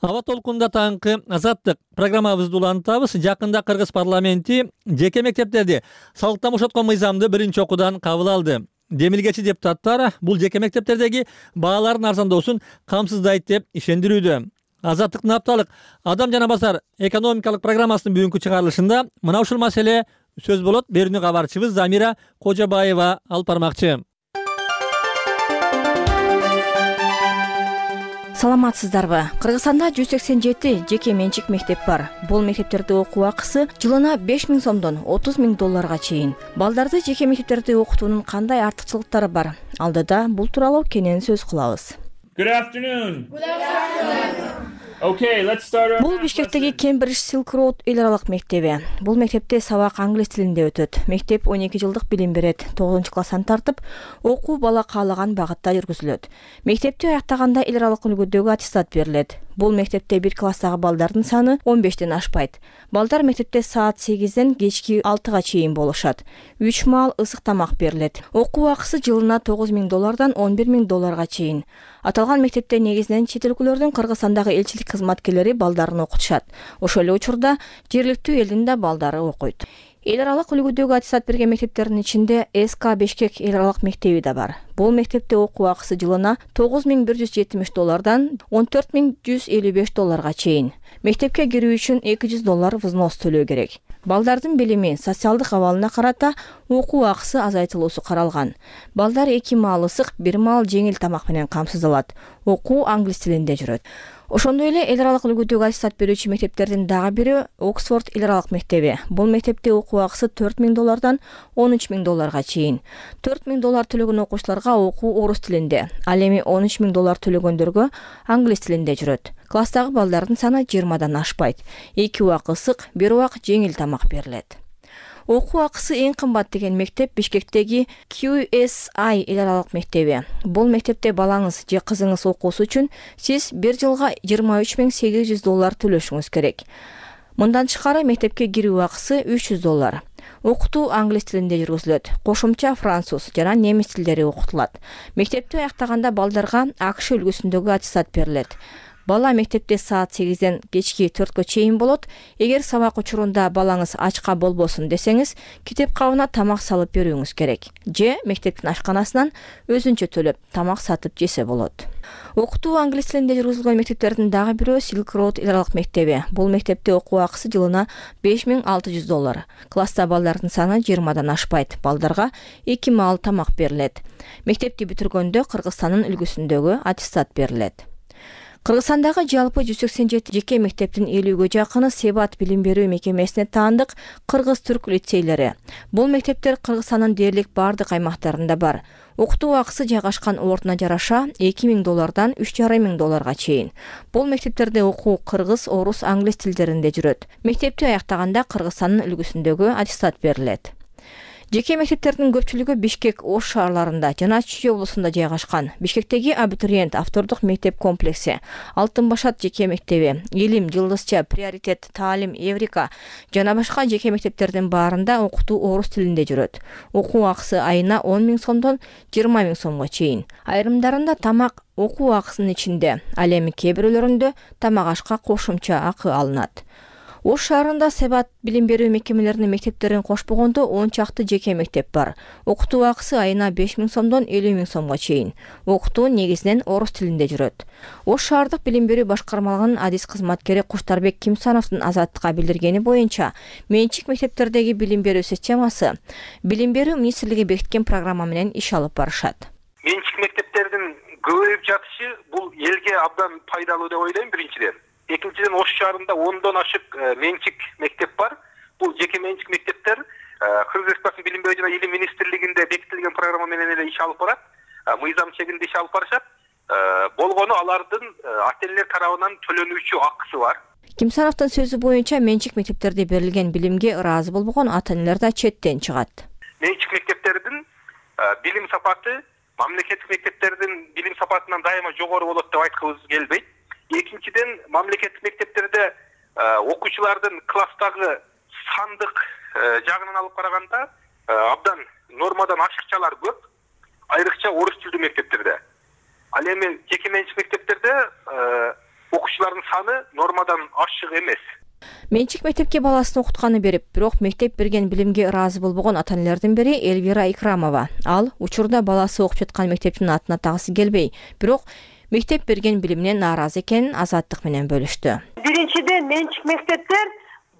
Аба толкунда таңкы Азаттык программабызды улантабыз. Жакында Кыргыз парламенти жеке мектептерди салыктан бошоткон мыйзамды биринчи окуудан кабыл алды. Демилгечи депутаттар бул жеке мектептердеги баалардын арзандоосун камсыздайт деп ишендирүүдө. Азаттыктын апталык адам жана базар экономикалык программасынын бүгүнкү чыгарылышында мына ушул маселе сөз болот. Берүүнү кабарчыбыз Замира Кожобаева алып бармакчы. Саламатсыздарбы? Кыргызстанда жүз сексен жети жеке менчик мектеп бар. Бул мектептерде окуу акысы жылына беш миң сомдон отуз миң долларга чейин. Балдарды жеке мектептерде окутуунун кандай артыкчылыктары бар? Алдыда бул тууралуу кенен сөз кылабыз. Good afternoon. Good afternoon. Okay, let's start. Бул Бишкектеги Cambridge Silk Road эл аралык мектеби. Бул мектепте сабак англис тилинде өтөт. Мектеп он эки жылдык билим берет. тогузунчу класстан тартып, окуу бала каалаган багытта жүргүзүлөт. Мектепти аяктаганда эл аралык үлгүдөгү аттестат берилет. Бул мектепте бир класстагы балдардын саны он бештен ашпайт. Балдар мектепте саат сегизден кечки алтыга чейин болушат. үч маал ысык тамак берилет. Окуу акысы жылына тогуз миң доллардан он бир миң долларга чейин. Аталган мектепте негизинен чет өлкөлөрдүн Кыргызстандагы элчилик кызматкерлери балдарын окутушат. Ошол эле учурда жергиликтүү элдин да балдары окуйт. Эл аралык үлгүдөгү аттестат берген мектептердин ичинде эс ка Бишкек эл аралык мектеби да бар. Бул мектепте окуу акысы жылына тогуз миң бир жүз жетимиш доллардан он төрт миң жүз элүү беш долларга чейин. Мектепке кирүү үчүн эки жүз доллар взнос төлөө керек. Балдардын билими, социалдык абалына карата окуу акысы азайтылуусу каралган. Балдар эки маал ысык, бир маал жеңил тамак менен камсыздалат. Окуу англис тилинде жүрөт. Ошондой эле эл аралык үлгүдөгү аттестат берүүчү мектептердин дагы бири Оксфорд эл аралык мектеби. Бул мектепте окуу акысы төрт миң доллардан он үч миң долларга чейин. төрт миң доллар төлөгөн окуучуларга окуу орус тилинде, ал эми он үч миң доллар төлөгөндөргө англис тилинде жүрөт. Класстагы балдардын саны жыйырмадан ашпайт. эки убак ысык, бир убак жеңил тамак берилет. Окуу акысы эң кымбат деген мектеп Бишкектеги Q S I эл аралык мектеби. Бул мектепте балаңыз же кызыңыз окуусу үчүн сиз бир жылга жыйырма үч миң сегиз жүз доллар төлөшүңүз керек. Мындан тышкары мектепке кирүү акысы үч жүз доллар. Окутуу англис тилинде жүргүзүлөт. Кошумча француз жана немис тилдери окутулат. Мектепти аяктаганда балдарга АКШ үлгүсүндөгү аттестат берилет. Бала мектепте саат сегизден кечки төрткө чейин болот. Эгер сабак учурунда балаңыз ачка болбосун десеңиз, китеп кабына тамак салып берүүңүз керек. Же мектептин ашканасынан өзүнчө төлөп тамак сатып жесе болот. Окутуу англис тилинде жүргүзүлгөн мектептердин дагы бирөө Silk Road эл аралык мектеби. Бул мектепте окуу акысы жылына беш миң алты жүз доллар. Класста балдардын саны жыйырмадан ашпайт. Балдарга эки маал тамак берилет. Мектепти бүтүргөндө Кыргызстандын үлгүсүндөгү аттестат берилет. Кыргызстандагы жалпы жүз сексен жети жеке мектептин элүүгө жакыны Себат билим берүү мекемесине таандык кыргыз-түрк лицейлери. Бул мектептер Кыргызстандын дээрлик бардык аймактарында бар. Окутуу акысы жайгашкан ордуна жараша эки миң доллардан үч жарым миң долларга чейин. Бул мектептерде окуу кыргыз, орус, англис тилдеринде жүрөт. Мектепти аяктаганда Кыргызстандын үлгүсүндөгү аттестат берилет. Жеке мектептердин көпчүлүгү Бишкек, Ош шаарларында жана Чүй облусунда жайгашкан. Бишкектеги абитуриент автордук мектеп комплекси, Алтын Башат жеке мектеби, Илим, Жылдызча, Приоритет, Таалим, Эврика жана башка жеке мектептердин баарында окутуу орус тилинде жүрөт. Окуу акысы айына он миң сомдон жыйырма миң сомго чейин. Айрымдарында тамак окуу акысынын ичинде, ал эми кээ бирөөлөрүндө тамак ашка кошумча акы алынат. Ош шаарында Себат билим берүү мекемелеринин мектептерин кошпогондо он чакты жеке мектеп бар. Окутуу акысы айына беш миң сомдон элүү миң сомго чейин. Окутуу негизинен орус тилинде жүрөт. Ош шаардык билим берүү башкармалыгынын адис кызматкери Куштарбек Кимсановдун Азаттыкка билдиргени боюнча, менчик мектептердеги билим берүү системасы билим берүү министрлиги бекиткен программа менен иш алып барышат. Менчик мектептердин көбөйүп жатышы бул элге абдан пайдалуу деп ойлойм биринчиден. Экинчиден, Ош шаарында ондон ашык менчик мектеп бар. Бул жеке менчик мектептер Кыргыз Республикасынын билим берүү жана илим министрлигинде бекитилген программа менен эле иш алып барат. Мыйзам чегинде иш алып барышат. Болгону алардын ата-энелер тарабынан төлөнүүчү акысы бар. Кимсановдун сөзү боюнча менчик мектептерде берилген билимге ыраазы болбогон ата-энелер да четтен чыгат. Менчик мектептердин билим сапаты мамлекеттик мектептердин билим сапатынан дайыма жогору болот деп айткыбыз келбейт. Экинчиден, мамлекеттик мектептерде окуучулардын класстагы сандык жагынан алып караганда абдан нормадан ашыкчалар көп, айрыкча орус тилдүү мектептерде. Ал эми жеке менчик мектептерде окуучулардын саны нормадан ашык эмес. Менчик мектепке баласын окутканы берип, бирок мектеп берген билимге ыраазы болбогон ата-энелердин бири Элвира Икрамова. Ал учурда баласы окуп жаткан мектептин атын атагысы келбей, бирок мектеп берген билиминен нааразы экенин Азаттык менен бөлүштү. Биринчиден, менчик мектептер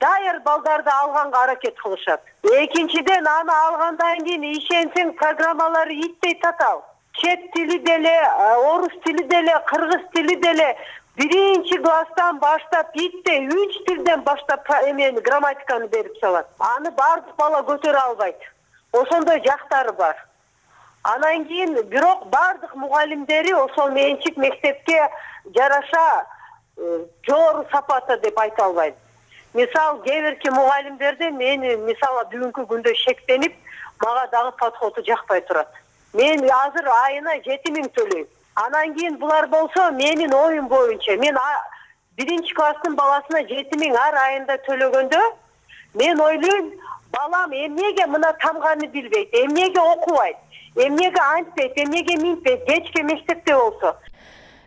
даяр балдарды алганга аракет кылышат. Экинчиден, аны алгандан кийин ишенсең программалары итпей татал. Чет тили деле, орус тили деле, кыргыз тили деле биринчи класстан баштап итпей үч тилден баштап эмени грамматиканы берип салат. Аны бардык бала көтөрө албайт. Ошондой жактары бар. Анан кийин бирок бардык мугалимдери ошол менчик мектепке жараша жогору сапатта деп айта албайм. Мисал, кээ бирки мугалимдерде мени мисалы бүгүнкү күндө шектенип, мага дагы подходу жакпай турат. Мен азыр айына жети миң төлөйм. Анан кийин булар болсо менин оюм боюнча мен биринчи класстын баласына жети миң ар айында төлөгөндө мен ойлойм, балам эмнеге мына тамганы билбейт, эмнеге окубайт, эмнеге антпейт, эмнеге минтпейт, кечке мектепте болсо.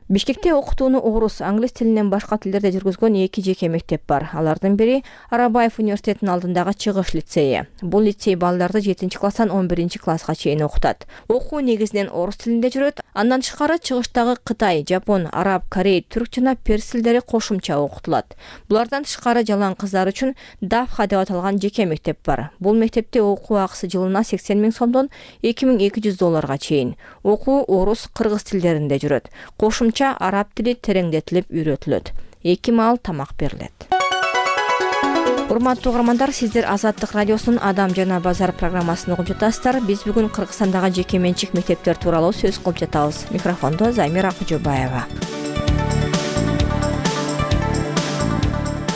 Бишкекте окутууну орус, англис тилинен башка тилдерде жүргүзгөн эки жеке мектеп бар. Алардын бири Арабаев университетинин алдындагы Чыгыш лицейи. Бул лицей балдарды жетинчи класстан он биринчи класска чейин окутат. Окуу негизинен орус тилинде жүрөт. Андан тышкары Чыгыштагы Кытай, Жапон, Араб, Корей, түрк жана перс тилдери кошумча окутулат. Булардан тышкары жалаң кыздар үчүн Давха деп аталган жеке мектеп бар. Бул мектепте окуу акысы жылына сексен миң сомдон эки миң эки жүз долларга чейин. Окуу орус, кыргыз тилдеринде жүрөт. Кошумча кошумча араб тили тереңдетилип үйрөтүлөт. Эки маал тамак берилет. Урматтуу угармандар, сиздер Азаттык радиосунун Адам жана базар программасын угуп жатасыздар. Биз бүгүн Кыргызстандагы жеке менчик мектептер тууралуу сөз кылып жатабыз. Микрофондо Замира Кожобаева.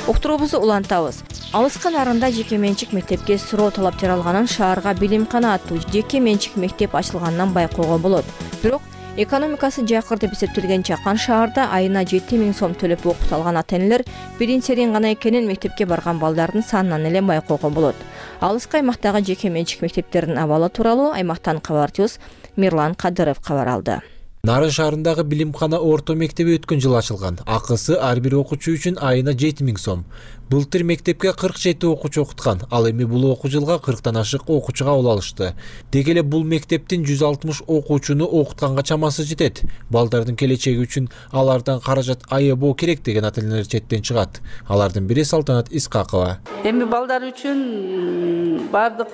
Уктуруубузду улантабыз. Алыскы нарында жеке менчик мектепке суроо талап жаралганын, шаарга Билимкана аттуу жеке менчик мектеп ачылганынан байкоого болот. Бирок экономикасы жакыр деп эсептелген Чакан шаарда айына жети миң сом төлөп окута алган ата-энелер бирин серин гана экенин мектепке барган балдардын санынан эле байкоого болот. Алыскы аймактагы жеке менчик мектептердин абалы тууралуу аймактан кабарчыбыз Мирлан Кадыров кабар алды. Нарын шаарындагы Билимкана орто мектеби өткөн жылы ачылган. Акысы ар бир окуучу үчүн айына жети миң сом. Былтыр мектепке кырк жети окуучу окуткан. Ал эми бул окуу жылга кырктан ашык окуучуга кабыл алышты. Деги эле бул мектептин жүз алтымыш окуучуну окутканга чамасы жетет. Балдардын келечеги үчүн алардан каражат аябоо керек деген ата-энелер четтен чыгат. Алардын бири Салтанат Искакова. Эми балдар үчүн бардык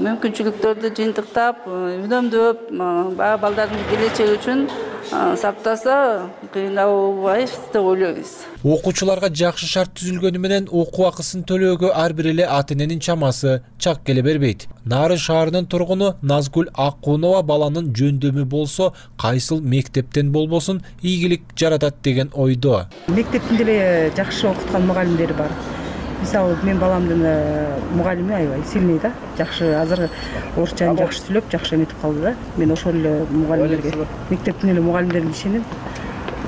мүмкүнчүлүктөрдү жыйынтыктап, үнөмдөп, баягы балдардын келечеги үчүн сактаса кыйналбайбыз деп ойлойбуз. Окуучуларга жакшы шарт түзүлгөнү менен окуу акысын төлөөгө ар бир эле ата-эненин чамасы чак келе бербейт. Нарын шаарынын тургуну Назгүл Аккунова баланын жөндөмү болсо, кайсыл мектептен болбосун ийгилик жаратат деген ойдо. Мектептин деле жакшы окуткан мугалимдери бар. Мисалы, мен баламдын мугалими аябай сильный да, жакшы азыр орусчаны жакшы сүйлөп, жакшы эметип калды да. Мен ошол эле мугалимдерге, мектептин эле мугалимдерине ишенип,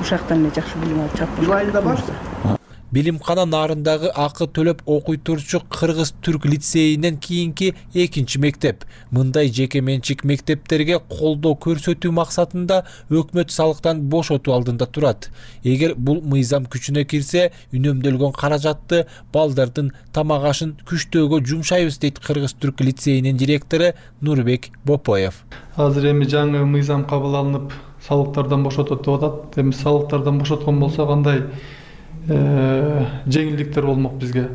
ушактан эле жакшы билим алып чыгып. Жубайында барсыз? Билимкана Нарындагы акы төлөп окуй турчу Кыргыз-Түрк лицейинен кийинки экинчи мектеп. Мындай жеке менчик мектептерге колдоо көрсөтүү максатында өкмөт салыктан бошотуу алдында турат. Эгер бул мыйзам күчүнө кирсе, үнөмдөлгөн каражатты балдардын тамак ашын күчтөөгө жумшайбыз дейт Кыргыз-Түрк лицейинин директору Нурбек Бопоев. Азыр эми жаңы мыйзам кабыл алынып, салыктардан бошотот деп атат. Эми салыктардан бошоткон болсо кандай жеңилдиктер болмок бизге.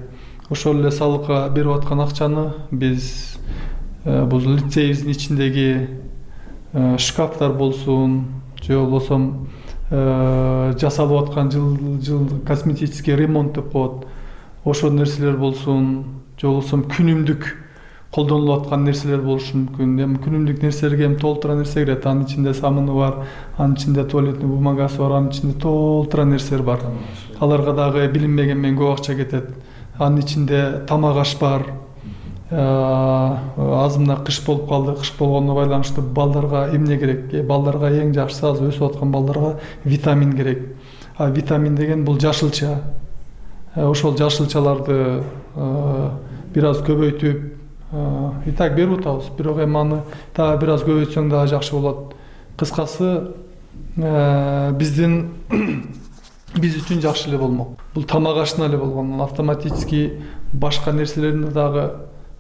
Ошол эле салыкка берип аткан акчаны биз бул лицейибиздин ичиндеги шкафтар болсун, же болбосо жасалып аткан жыл жыл косметический ремонт деп коет. Ошол нерселер болсун, же болбосо күнүмдүк колдонулуп аткан нерселер болушу мүмкүн. Эми күнүмдүк нерселерге эми толтура нерсе кирет. Анын ичинде самыны бар, анын ичинде туалетный бумагасы бар, анын ичинде толтура нерселер бар. Аларга дагы билинбеген менен көп акча кетет. Анын ичинде тамак аш бар. Азымда кыш болуп калды. Кыш болгондо байланыштуу балдарга эмне керек? Балдарга эң жакшысы азыр өсүп аткан балдарга витамин керек. А витамин деген бул жашылча. Ошол жашылчаларды бир аз көбөйтүп и так берип атабыз. Бирок эми аны дагы бир аз көбөйтсөң дагы жакшы болот. Кыскасы биздин биз үчүн жакшы эле болмок. Бул тамак ашына эле болгон, автоматически башка нерселеринде дагы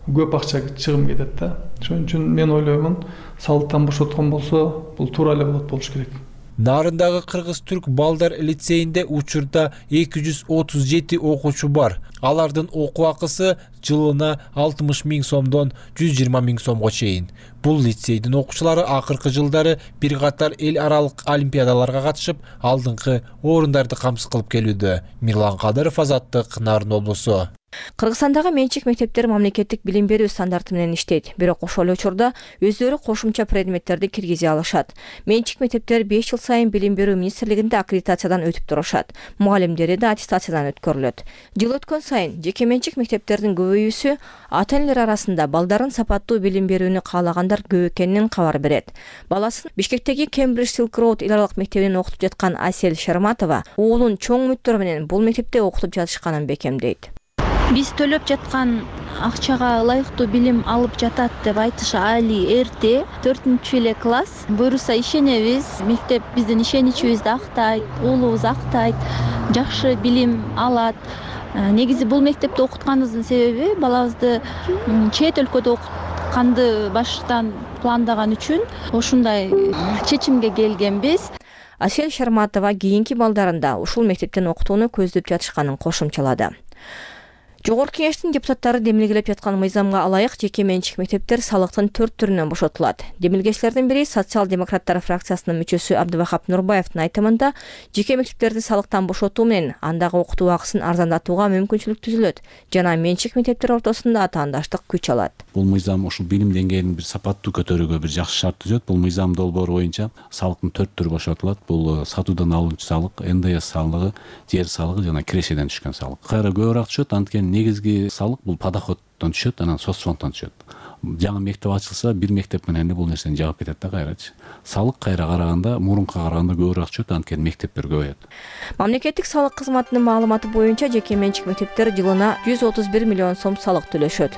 көп акча чыгым кетет да. Ошон үчүн мен ойлоймун, салыктан бошоткон болсо, бул туура эле болот болуш керек. Нарындагы Кыргыз-Түрк балдар лицейинде учурда эки жүз отуз жети окуучу бар. Алардын окуу акысы жылына алтымыш миң сомдон жүз жыйырма миң сомго чейин. Бул лицейдин окуучулары акыркы жылдары бир катар эл аралык олимпиадаларга катышып, алдыңкы орундарды камсыз кылып келүүдө. Мирлан Кадыров, Азаттык, Нарын облусу. Кыргызстандагы менчик мектептер мамлекеттик билим берүү стандарты менен иштейт. Бирок ошол эле учурда өздөрү кошумча предметтерди киргизе алышат. Менчик мектептер беш жыл сайын билим берүү министрлигинде аккредитациядан өтүп турушат. Мугалимдери да аттестациядан өткөрүлөт. Жыл өткөн сайын жеке менчик мектептердин көбөйүүсү ата-энелер арасында балдарын сапаттуу билим берүүнү каалагандар көп экенин кабар берет. Баласын Бишкектеги Кембридж Silk Road эл аралык мектебинен окутуп жаткан Асель Шерматова уулун чоң үмүттөр менен бул мектепте окутуп жатышканын бекемдейт. Биз төлөп жаткан акчага ылайыктуу билим алып жатат деп айтыш али эрте. төртүнчү эле класс. Буюрса ишенебиз. Мектеп биздин ишеничибизди актайт, уулубуз актайт, жакшы билим алат. Негизи бул мектепте окутканыбыздын себеби балабызды чет өлкөдө окутканды баштан пландаган үчүн ушундай чечимге келгенбиз. Асель Шерматова кийинки балдарында ушул мектептен окутууну көздөп жатышканын кошумчалады. Жогорку Кеңештин депутаттары демилгелеп жаткан мыйзамга ылайык жеке менчик мектептер салыктын төрт түрүнөн бошотулат. Демилгечилердин бири социал-демократтар фракциясынын мүчөсү Абдывахап Нурбаевдин айтымында, жеке мектептерди салыктан бошотуу менен андагы окутуу акысын арзандатууга мүмкүнчүлүк түзүлөт жана менчик мектептер ортосунда атаандаштык күч алат. Бул мыйзам ушул билим деңгээлин бир сапаттуу көтөрүүгө бир жакшы шарт түзөт. Бул мыйзам долбоору боюнча салыктын төрт түрү бошотулат. Бул сатуудан алынчу салык, эн дэ эс салыгы, жер салыгы жана кирешеден түшкөн салык. Кайра көбүрөөк түшөт, анткени негизги салык бул подоходдон түшөт, анан соцфонддон түшөт. Жаңы мектеп ачылса, бир мектеп менен эле бул нерсени жаап кетет да кайрачы. Салык кайра караганда, мурунка караганда көбүрөөк түшөт, анткени мектептер көбөйөт. Мамлекеттик салык кызматынын маалыматы боюнча жеке менчик мектептер жылына жүз отуз бир миллион сом салык төлөшөт.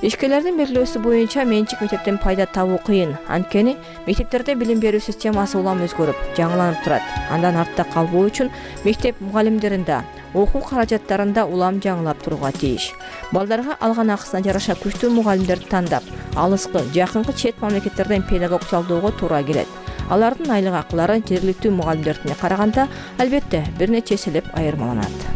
Ишкерлердин белгилөөсү боюнча менчик мектептен пайда табуу кыйын. Анткени мектептерде билим берүү системасы улам өзгөрүп, жаңыланып турат. Андан артта калбоо үчүн мектеп мугалимдеринде, окуу каражаттарында улам жаңылап турууга тийиш. Балдарга алган акысына жараша күчтүү мугалимдерди тандап, алыскы, жакынкы чет мамлекеттерден педагог жалдоого туура келет. Алардын айлык акылары жергиликтүү мугалимдердине караганда албетте бир нече эселеп айырмаланат.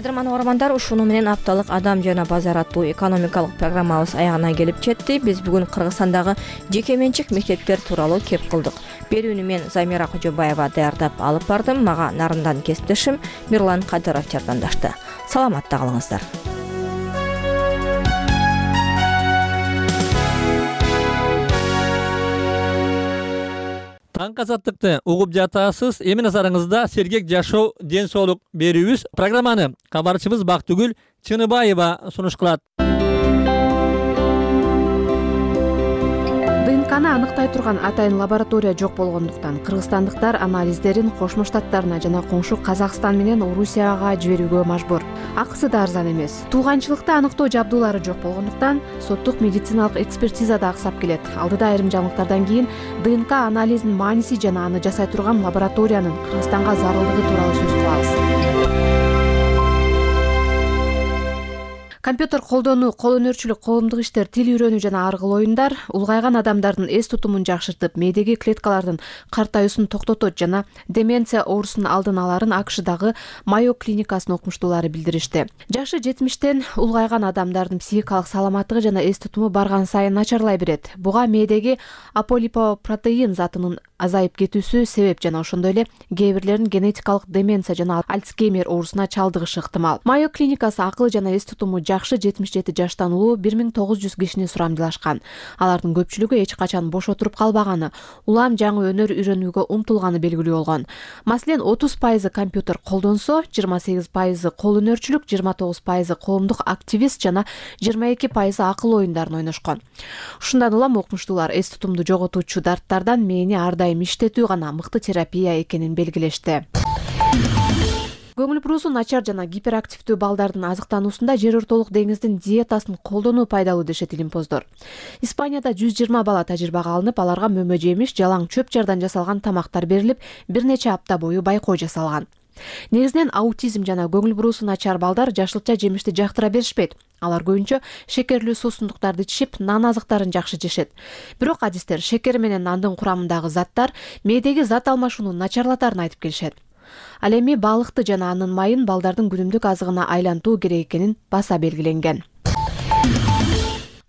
Кадырман угармандар, ушуну менен апталык Адам жана базар аттуу экономикалык программабыз аягына келип жетти. Биз бүгүн Кыргызстандагы жеке менчик мектептер тууралуу кеп кылдык. Берүүнү мен Замира Кожобаева даярдап алып бардым. Мага нарындан кесиптешим Мирлан Кадыров жардамдашты. Саламатта калыңыздар. Таң азаттыкты угуп жатасыз. Эми назарыңызда сергек жашоо, ден соолук берүүбүз. Программаны кабарчыбыз Бактыгүл Чыныбаева сунуш кылат. ДНКны аныктай турган атайын лаборатория жок болгондуктан кыргызстандыктар анализдерин Кошмо Штаттарына жана коңшу Казакстан менен Орусияга жиберүүгө мажбур. Акысы да арзан эмес. Тууганчылыкты аныктоо жабдуулары жок болгондуктан соттук медициналык экспертиза да аксап келет. Алдыда айрым жаңылыктардан кийин ДНК анализинин мааниси жана аны жасай турган лабораториянын Кыргызстанга зарылдыгы тууралуу сөз кылабыз. Компьютер колдонуу, кол өнөрчүлүк, коомдук иштер, тил үйрөнүү жана ар кыл оюндар улгайган адамдардын эс тутумун жакшыртып, мээдеги клеткалардын картаюусун токтотот жана деменция оорусунун алдын аларын АКШдагы Майо клиникасынын окумуштуулары билдиришти. Жашы жетимиштен улгайган адамдардын психикалык саламаттыгы жана эс тутуму барган сайын начарлай берет. Буга мээдеги аполипопротеин затынын азайып кетүүсү себеп жана ошондой эле кээ бирлерин генетикалык деменция жана Альцгеймер оорусуна чалдыгышы ыктымал. Майо клиникасы акыл жана эс тутуму жакшы жетимиш жети жаштан улуу бир миң тогуз жүз кишини сурамдылашкан. Алардын көпчүлүгү эч качан бош отуруп калбаганы, улам жаңы өнөр үйрөнүүгө умтулганы белгилүү болгон. Маселен, отуз пайызы компьютер колдонсо, жыйырма сегиз пайызы кол өнөрчүлүк, жыйырма тогуз пайызы коомдук активист жана жыйырма эки пайызы акыл оюндарын ойношкон. Ушундан улам окумуштуулар эс тутумду жоготуучу дарттардан мээни ар дайым иштетүү гана мыкты терапия экенин белгилешти. Көңүл бурусу начар жана гиперактивдүү балдардын азыктануусунда жер ортолук деңиздин диетасын колдонуу пайдалуу дешет илимпоздор. Испанияда жүз жыйырма бала тажрыйбага алынып, аларга мөмө жемиш, жалаң чөп жардан жасалган тамактар берилип, бир нече апта бою байкоо жасалган. Негизинен аутизм жана көңүл бурусу начар балдар жашылча жемишти жактыра беришпейт. Алар көбүнчө шекерлүү суусундуктарды ичишип, нан азыктарын жакшы жешет. Бирок адистер шекер менен нандын курамындагы заттар мээдеги зат алмашууну начарлатарын айтып келишет. Ал эми балыкты жана анын майын балдардын күнүмдүк азыгына айлантуу керек экенин баса белгиленген.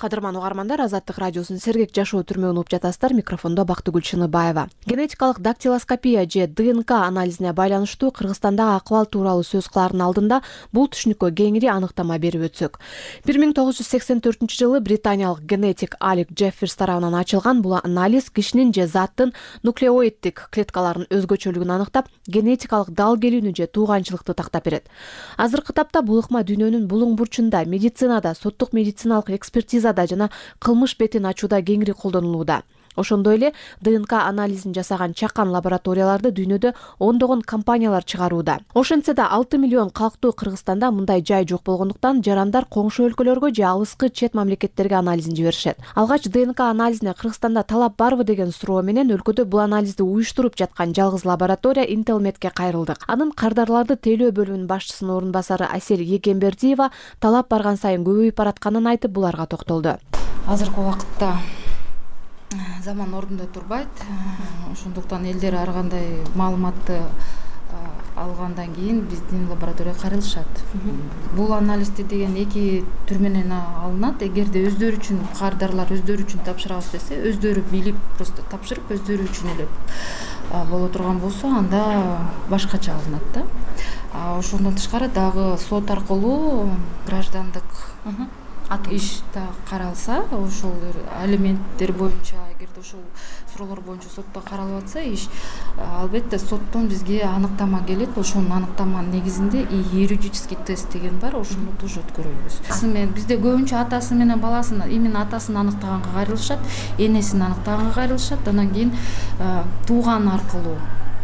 Кадырман угармандар, Азаттык радиосунун сергек жашоо түрмөгүн угуп жатасыздар. Микрофондо Бактыгүл Чыныбаева. Генетикалык дактилоскопия же ДНК анализине байланыштуу Кыргызстандагы акыбал тууралуу сөз кылаардын алдында бул түшүнүккө кеңири аныктама берип өтсөк. бир миң тогуз жүз сексен төртүнчү жылы британиялык генетик Алек Джефферс тарабынан ачылган бул анализ кишинин же заттын нуклеоиддик клеткаларынын өзгөчөлүгүн аныктап, генетикалык дал келүүнү же тууганчылыкты тактап берет. Азыркы тапта бул ыкма дүйнөнүн булуң бурчунда, медицинада, соттук медициналык экспертиза жана кылмыш бетин ачууда кеңири колдонулууда. Ошондой эле ДНК анализин жасаган чакан лабораторияларды дүйнөдө ондогон компаниялар чыгарууда. Ошентсе да алты миллион калктуу Кыргызстанда мындай жай жок болгондуктан жарандар коңшу өлкөлөргө же алыскы чет мамлекеттерге анализин жиберишет. Алгач ДНК анализине Кыргызстанда талап барбы деген суроо менен өлкөдө бул анализди уюштуруп жаткан жалгыз лаборатория Интелмедке кайрылдык. Анын кардарларды тейлөө бөлүмүнүн башчысынын орун басары Асель Егембердиева талап барган сайын көбөйүп баратканын айтып, буларга токтолду. Азыркы убакытта заман ордунда турбайт. Ошондуктан элдер ар кандай маалыматты алгандан кийин биздин лабораторияга кайрылышат. Бул анализди деген эки түр менен алынат. Эгерде өздөрү үчүн кардарлар өздөрү үчүн тапшырабыз десе, өздөрү билип просто тапшырып өздөрү үчүн эле боло турган болсо, анда башкача алынат да. Ошондон тышкары дагы сот аркылуу граждандык иш да каралса, ошол алименттер боюнча, эгерде ошол суроолор боюнча сотто каралып атса иш, албетте соттон бизге аныктама келет. Ошонун аныктаманын негизинде юридический тест деген бар, ошону тоже өткөрөбүз. Бизде көбүнчө атасы менен баласын, именно атасын аныктаганга кайрылышат, энесин аныктаганга кайрылышат, андан кийин тууган аркылуу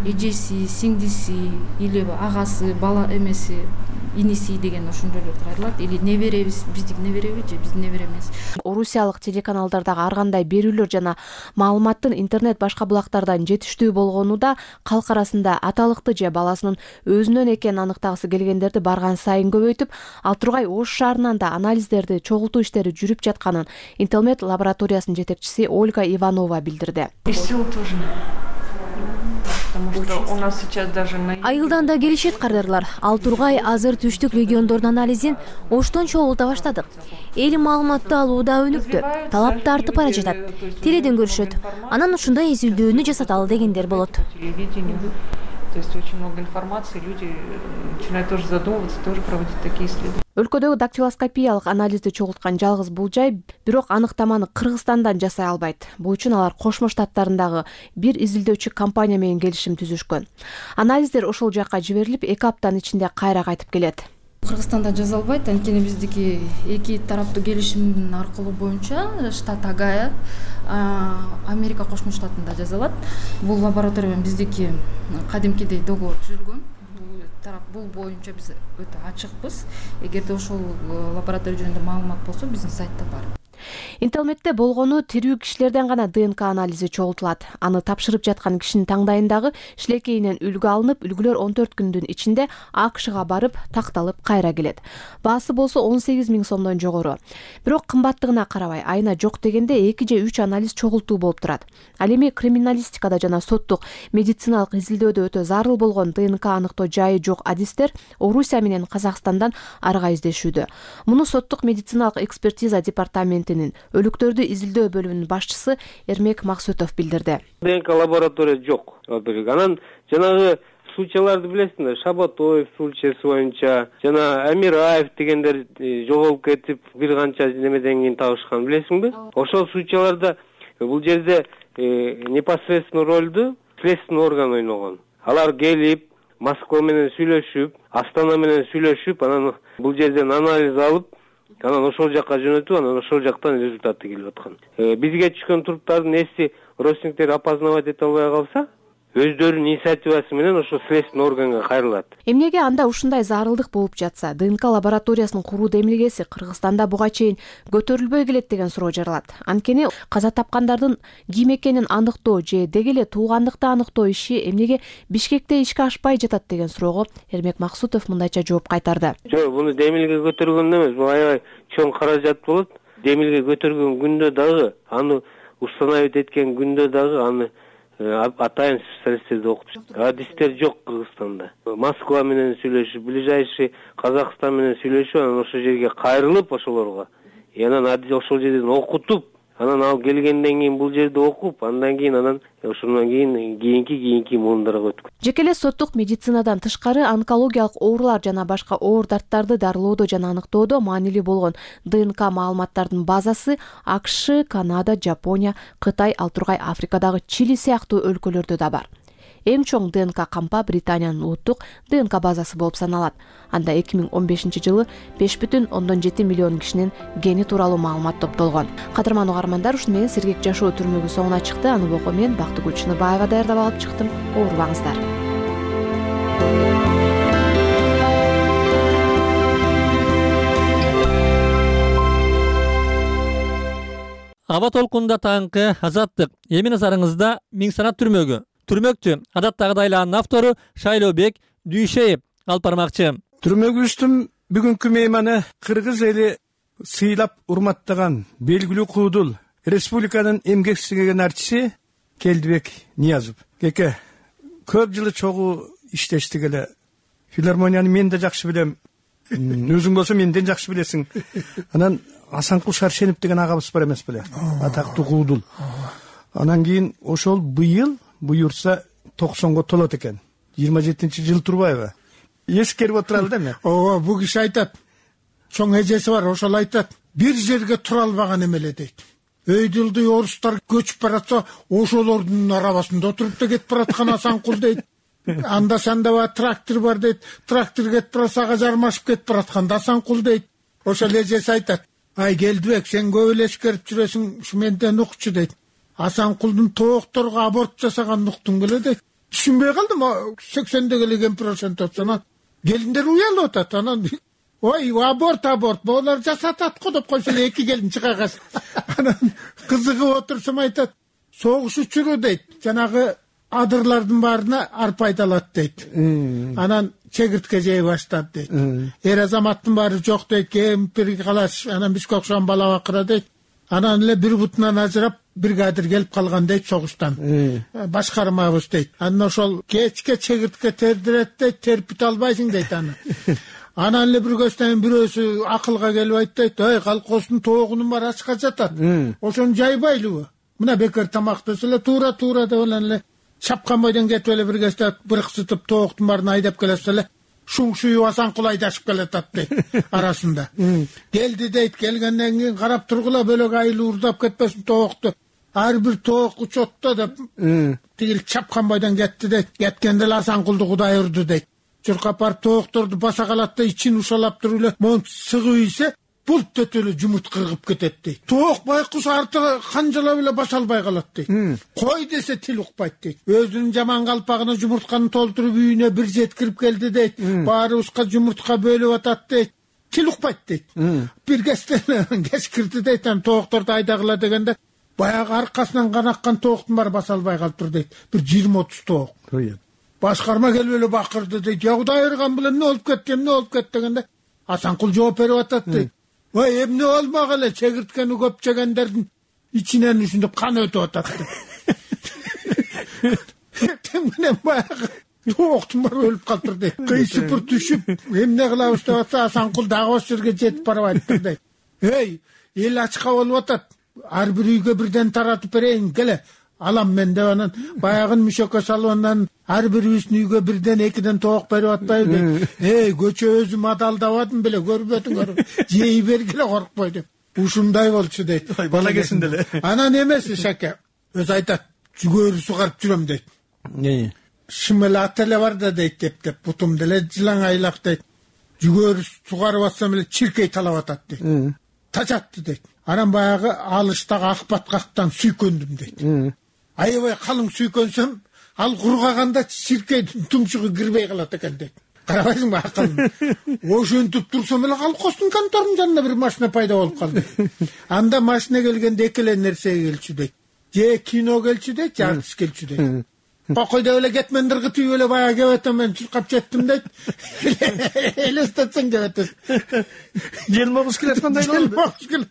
эжеси, сиңдиси или агасы, бала эмеси, иниси деген ошондойлорду кайрылат. Или неберебиз, биздики небереби же биздин небере эмес. Орусиялык телеканалдардагы ар кандай берүүлөр жана маалыматтын интернет башка булактардан жетиштүү болгону да калк арасында аталыкты же баласынын өзүнөн экенин аныктагысы келгендерди барган сайын көбөйтүп, ал Тургай Ош шаарынан да анализдерди чогултуу иштери жүрүп жатканын Интелмед лабораториясынын жетекчиси Ольга Иванова билдирди. Айылдан да келишет кардарлар. Ал Тургай азыр түштүк региондордун анализин Оштон чогулта баштадык. Эл маалыматты алууда өнүктү, талапты артып бара жатат. Теледен көрүшөт. Анан ушундай изилдөөнү жасаталы дегендер болот. То есть очень много информации, люди начинают тоже задумываться, тоже проводить такие исследования. Өлкөдөгү дактилоскопиялык анализди чогулткан жалгыз бул жай, бирок аныктаманы Кыргызстандан жасай албайт. Бул үчүн алар Кошмо Штаттарындагы бир изилдөөчү компания менен келишим түзүшкөн. Анализдер ошол жакка жиберилип, эки аптанын ичинде кайра кайтып келет. Кыргызстанда жаза албайт, анткени биздики эки тараптуу келишим аркылуу боюнча штат Агая, Америка Кошмо Штатында жазалат. Бул лаборатория менен биздики кадимкидей договор түзүлгөн. Тарап бул боюнча биз өтө ачыкпыз. Эгерде ошол лаборатория жөнүндө маалымат болсо, биздин сайтта бар. Интелмедте болгону тирүү кишилерден гана ДНК анализи чогултулат. Аны тапшырып жаткан кишинин таңдайындагы шилекейинен үлгү алынып, үлгүлөр он төрт күндүн ичинде АКШга барып, такталып кайра келет. Баасы болсо он сегиз миң сомдон жогору. Бирок кымбаттыгына карабай, айына жок дегенде эки же үч анализ чогултуу болуп турат. Ал эми криминалистикада жана соттук медициналык изилдөөдө өтө зарыл болгон ДНК аныктоо жайы жок адистер Орусия менен Казакстандан арга издешүүдө. Муну соттук медициналык экспертиза департаментинин өлүктөрдү изилдөө бөлүмүнүн башчысы Эрмек Максутов билдирди. ДНК лаборатория жок. Анан жанагы случайларды билесиңер, Шабатоев случайсы боюнча, жана Амираев дегендер жоголуп кетип, бир канча немеден кийин табышкан, билесиңби? Ошол случайларда бул жерде непосредственно ролду следственный орган ойногон. Алар келип, Москва менен сүйлөшүп, Астана менен сүйлөшүп, анан бул жерден анализ алып, анан ошол жакка жөнөтүп, анан ошол жактан результаты келип аткан. Бизге түшкөн туруптардын эси родственниктер опознавать эте албай калса, өздөрүнүн инициативасы менен ошо следственный органга кайрылат. Эмнеге анда ушундай зарылдык болуп жатса, ДНК лабораториясынын куруу демилгеси Кыргызстанда буга чейин көтөрүлбөй келет деген суроо жаралат. Анткени каза тапкандардын ким экенин аныктоо же деги эле туугандыкты аныктоо иши эмнеге Бишкекте ишке ашпай жатат деген суроого Эрмек Максутов мындайча жооп кайтарды. Жок, буну демилге көтөргөн эмес, бул аябай чоң каражат болот. Демилге көтөргөн күндө дагы, аны установить эткен күндө дагы аны атайын специалисттерди окуп чыкты. Адистер жок Кыргызстанда. Москва менен сүйлөшүп, ближайший Казакстан менен сүйлөшүп, анан ошол жерге кайрылып ошолорго, анан ошол жерден окутуп, анан ал келгенден кийин бул жерде окуп, андан кийин анан ошондон кийин кийинки кийинки муундарга өткөн. Жеке эле соттук медицинадан тышкары онкологиялык оорулар жана башка оор дарттарды дарылоодо жана аныктоодо маанилүү болгон ДНК маалыматтардын базасы АКШ, Канада, Жапония, Кытай, ал Тургай Африкадагы Чили сыяктуу өлкөлөрдө да бар. Эң чоң ДНК кампа Британиянын улуттук ДНК базасы болуп саналат. Анда эки миң он бешинчи жылы беш бүтүн ондон жети миллион кишинин гени тууралуу маалымат топтолгон. Кадырман угармандар, ушуну менен Сергек жашоо түрмөгү соңуна чыкты. Аны окуу мен Бактыгүл Чыныбаева даярдап алып чыктым. Оорубаңыздар. Аба толкунда таңкы Азаттык. Эми назарыңызда Миң санат түрмөгү. Түрмөктү адаттагыдайланын автору Шайлообек Дүйшеев алып бармакчы. Түрмөгүбүздүн бүгүнкү мейманы кыргыз эли сыйлап урматтаган белгилүү куудул республиканын эмгек сиңирген артиси Келдибек Ниязов. Кеке көп жылы чогуу иштештик эле. Филармонияны мен да жакшы билем. Өзүң болсо менден жакшы билесиң. Анан Асанкул Шаршенов деген агабыз бар эмес беле? Атактуу куудул. Анан кийин ошол быйыл буюрса токсонго толот экен. жыйырма жетинчи жыл турбайбы? Эскерип отуралы да мен. Ооба, бул киши айтат. Чоң эжеси бар, ошол айтат. Бир жерге тура албаган эмеле дейт. Өйдүлдү орустар көчүп баратса, ошолордун арабасында отуруп да кетип бараткан Асанкул дейт. Анда санда бар трактор бар дейт. Трактор кетип барса ага жармашып кетип бараткан Асанкул дейт. Ошол эжеси айтат. Ай Келдибек, сен көп эле эскерип жүрөсүң, ушу менден укчу дейт. Асанкулдун тоокторго аборт жасаганын уктуң беле дейт. Түшүнбөй калдым. сексендеги эле кемпир ошентип анан келиндер уялып атат. Анан ой, аборт аборт болар жасатат го деп койсо эле эки келин чыга калса. Анан кызыгып отурсам айтат. Согуш учуру дейт. Жанагы адырлардын баарына арпа айдалат дейт. Анан чегиртке жей баштады дейт. Эр азаматтын баары жок дейт. Кемпир калаш, анан бизге окшогон бала бакыра дейт. Анан эле бир бутунан ажырап бригадир келип калган дейт согуштан. Башкармабыз дейт. Анан ошол кечке чегиртке тердирет дейт, терпите албайсың дейт аны. Анан эле бир көстөн бирөөсү акылга келип айтты, "Ой, колхоздун тоогунун баары ачка жатат. Ошону жайбайлыбы? Мына бекер тамактаса эле туура туура деп эле чапкан бойдон кетип эле бир кезде бырксытып тооктун баарын айдап келсе эле шуңшуюп Асанкул айдашып келатат дейт арасында. Келди дейт, келгенден кийин карап тургула бөлөк айыл уурдап кетпесин тоокту. Ар бир тоок учетто деп тигил чапкан бойдон кетти дейт. Кеткенде эле Асанкулду Кудай урду дейт. Чуркап барып тоокторду баса калат да ичин ушалап туруп эле монт сыгып ийсе булт өтүп эле жумурт кыргып кетет дейт. Тоок байкуш артыга канжалап эле баса албай калат дейт. Кой десе тил укпайт дейт. Өзүнүн жаман калпагына жумуртканы толтуруп үйүнө бир жеткирип келди дейт. Баарыбызга жумуртка бөлүп атат дейт. Тил укпайт дейт. Бир кезде кеч кирди дейт. Анан тоокторду айдагыла дегенде баягы аркасынан кан аккан тооктун баары баса албай калыптыр дейт. Бир жыйырма отуз тоок. Башкарма келип эле бакырды дейт. "Я Кудай ырган билем, эмне болуп кетти, эмне болуп кетти" дегенде Асанкул жооп берип атат дейт. "Ой, эмне болмок эле, чегирткени көп жегендердин ичинен ушинтип кан өтүп атат" дейт. Тең менен баягы тооктун баары өлүп калыптыр дейт. Кыйсыпыр түшүп, эмне кылабыз деп атса Асанкул дагы ошол жерге жетип барып айттыр дейт. "Эй, эл ачка болуп атат. Ар бир үйгө бирден таратып берейин, келе. Алам мен" деп анан баягын мүшөккө салып анан ар бирибиздин үйгө бирден экиден тоок берип атпайбы дейт. "Эй, көчө өзүм адалдабадым беле, көрбөдүңөр. Жей бергиле коркпой" деп. Ушундай болчу дейт. Бала кезинде эле. Анан эмеси Шаке, өзү айтат, "Жүгөрү сугарып жүрөм" дейт. Шымел ат эле бар да дейт, деп бутум деле жылаң айлак дейт. Жүгөрү сугарып атсам эле чиркей талап атат дейт. Тажатты дейт. Анан баягы алыштагы ак баткактан сүйкөндүм дейт. Аябай калың сүйкөнсөм, ал кургаганда чиркейдин тумшугу кирбей калат экен дейт. Карабайсыңбы акылым? Ошентип турсам эле колхоздун конторунун жанына бир машина пайда болуп калды. Анда машина келгенде эки эле нерсе келчү дейт. Же кино келчү дейт, же артист келчү дейт. Кокой деп эле кетмендир кытып эле баягы кебетем мен чуркап жеттим дейт. Элестетсең кебетесиң. Желмобуз келе аткандай болду.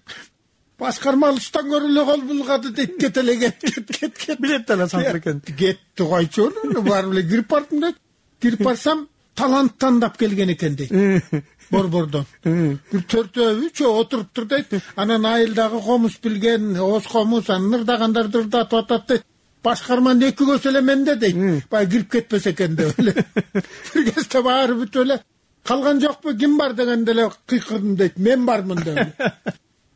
Башкарма алыштан көрү эле кол булгады дейт. Кет эле кет, кет, кет, кет. Билет эле Асанкул экен. Кетти койчу, барып эле кирип бардым дейт. Кирип барсам, талант тандап келген экен дейт. Борбордон. Бир төртөө, үчөө отуруптур дейт. Анан айылдагы комуз билген, оз комуз, анан ырдагандарды ырдатып атат дейт. Башкарманын эки көзү эле менде дейт. Баягы кирип кетпесе экен деп эле. Бир кезде баары бүтүп эле калган жокпу, ким бар дегенде эле кыйкырдым дейт. Мен бармын деп эле.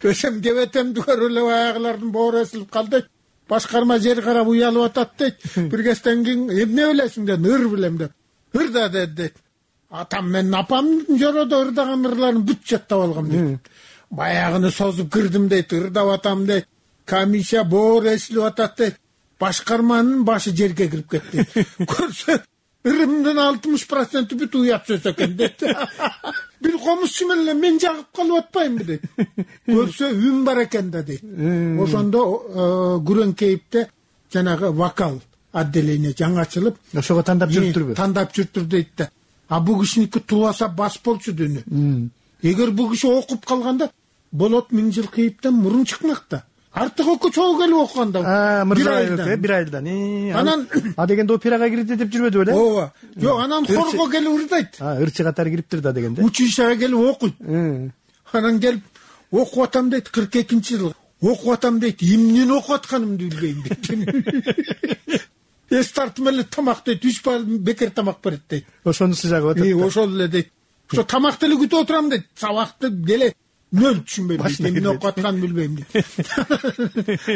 Көсөм кебетемди көрүп эле баягылардын боору эсилип калды. Башкарма жер карап уялып атат дейт. Бир кезден кийин эмне билесиң деп, ыр билем деп. Ырда дейт. Атам менин апамдын жороодо ырдаган ырларын бүт жаттап алгам дейт. Баягыны созуп кирдим дейт, ырдап атам дейт. Камиша боору эсилип атат дейт. Башкарманын башы жерге кирип кетти. Көрсө ырымдын алтымыш проценти бүт уят сөз экен дейт. Бир комузчу менен мен жагып калып атпаймынбы дейт. Көрсө үн бар экен да дейт. Ошондо Күрөңкейипте жанагы вокал отделение жаңы ачылып, ошого тандап жүрүптүрбү? Тандап жүрүптүр дейт да. А бул кишиники туласа бас болчу дүйнө. Эгер бул киши окуп калганда болот миң жыл кийиптен мурун чыкмак да. артык экөө чогуу келип окуганда мырза бир айдан анан а дегенде операга кирди деп жүрбөдү беле? ооба жок анан хорго келип ырдайт, ырчы катары кириптир да дегенде училищага келип окуйт. Анан келип окуп атам дейт, кырк экинчи жыл окуп атам дейт, эмнени окуп атканымды билбейм дейт. Эс тартып эле тамак дейт, үч бал бекер тамак берет дейт. Ошонусу жагып атат. Ошол эле дейт. Ошо тамакты эле күтүп отурам дейт. Сабакты деле нөл түшүнбөйм дейт. Эмне окуп атканын билбейм дейт.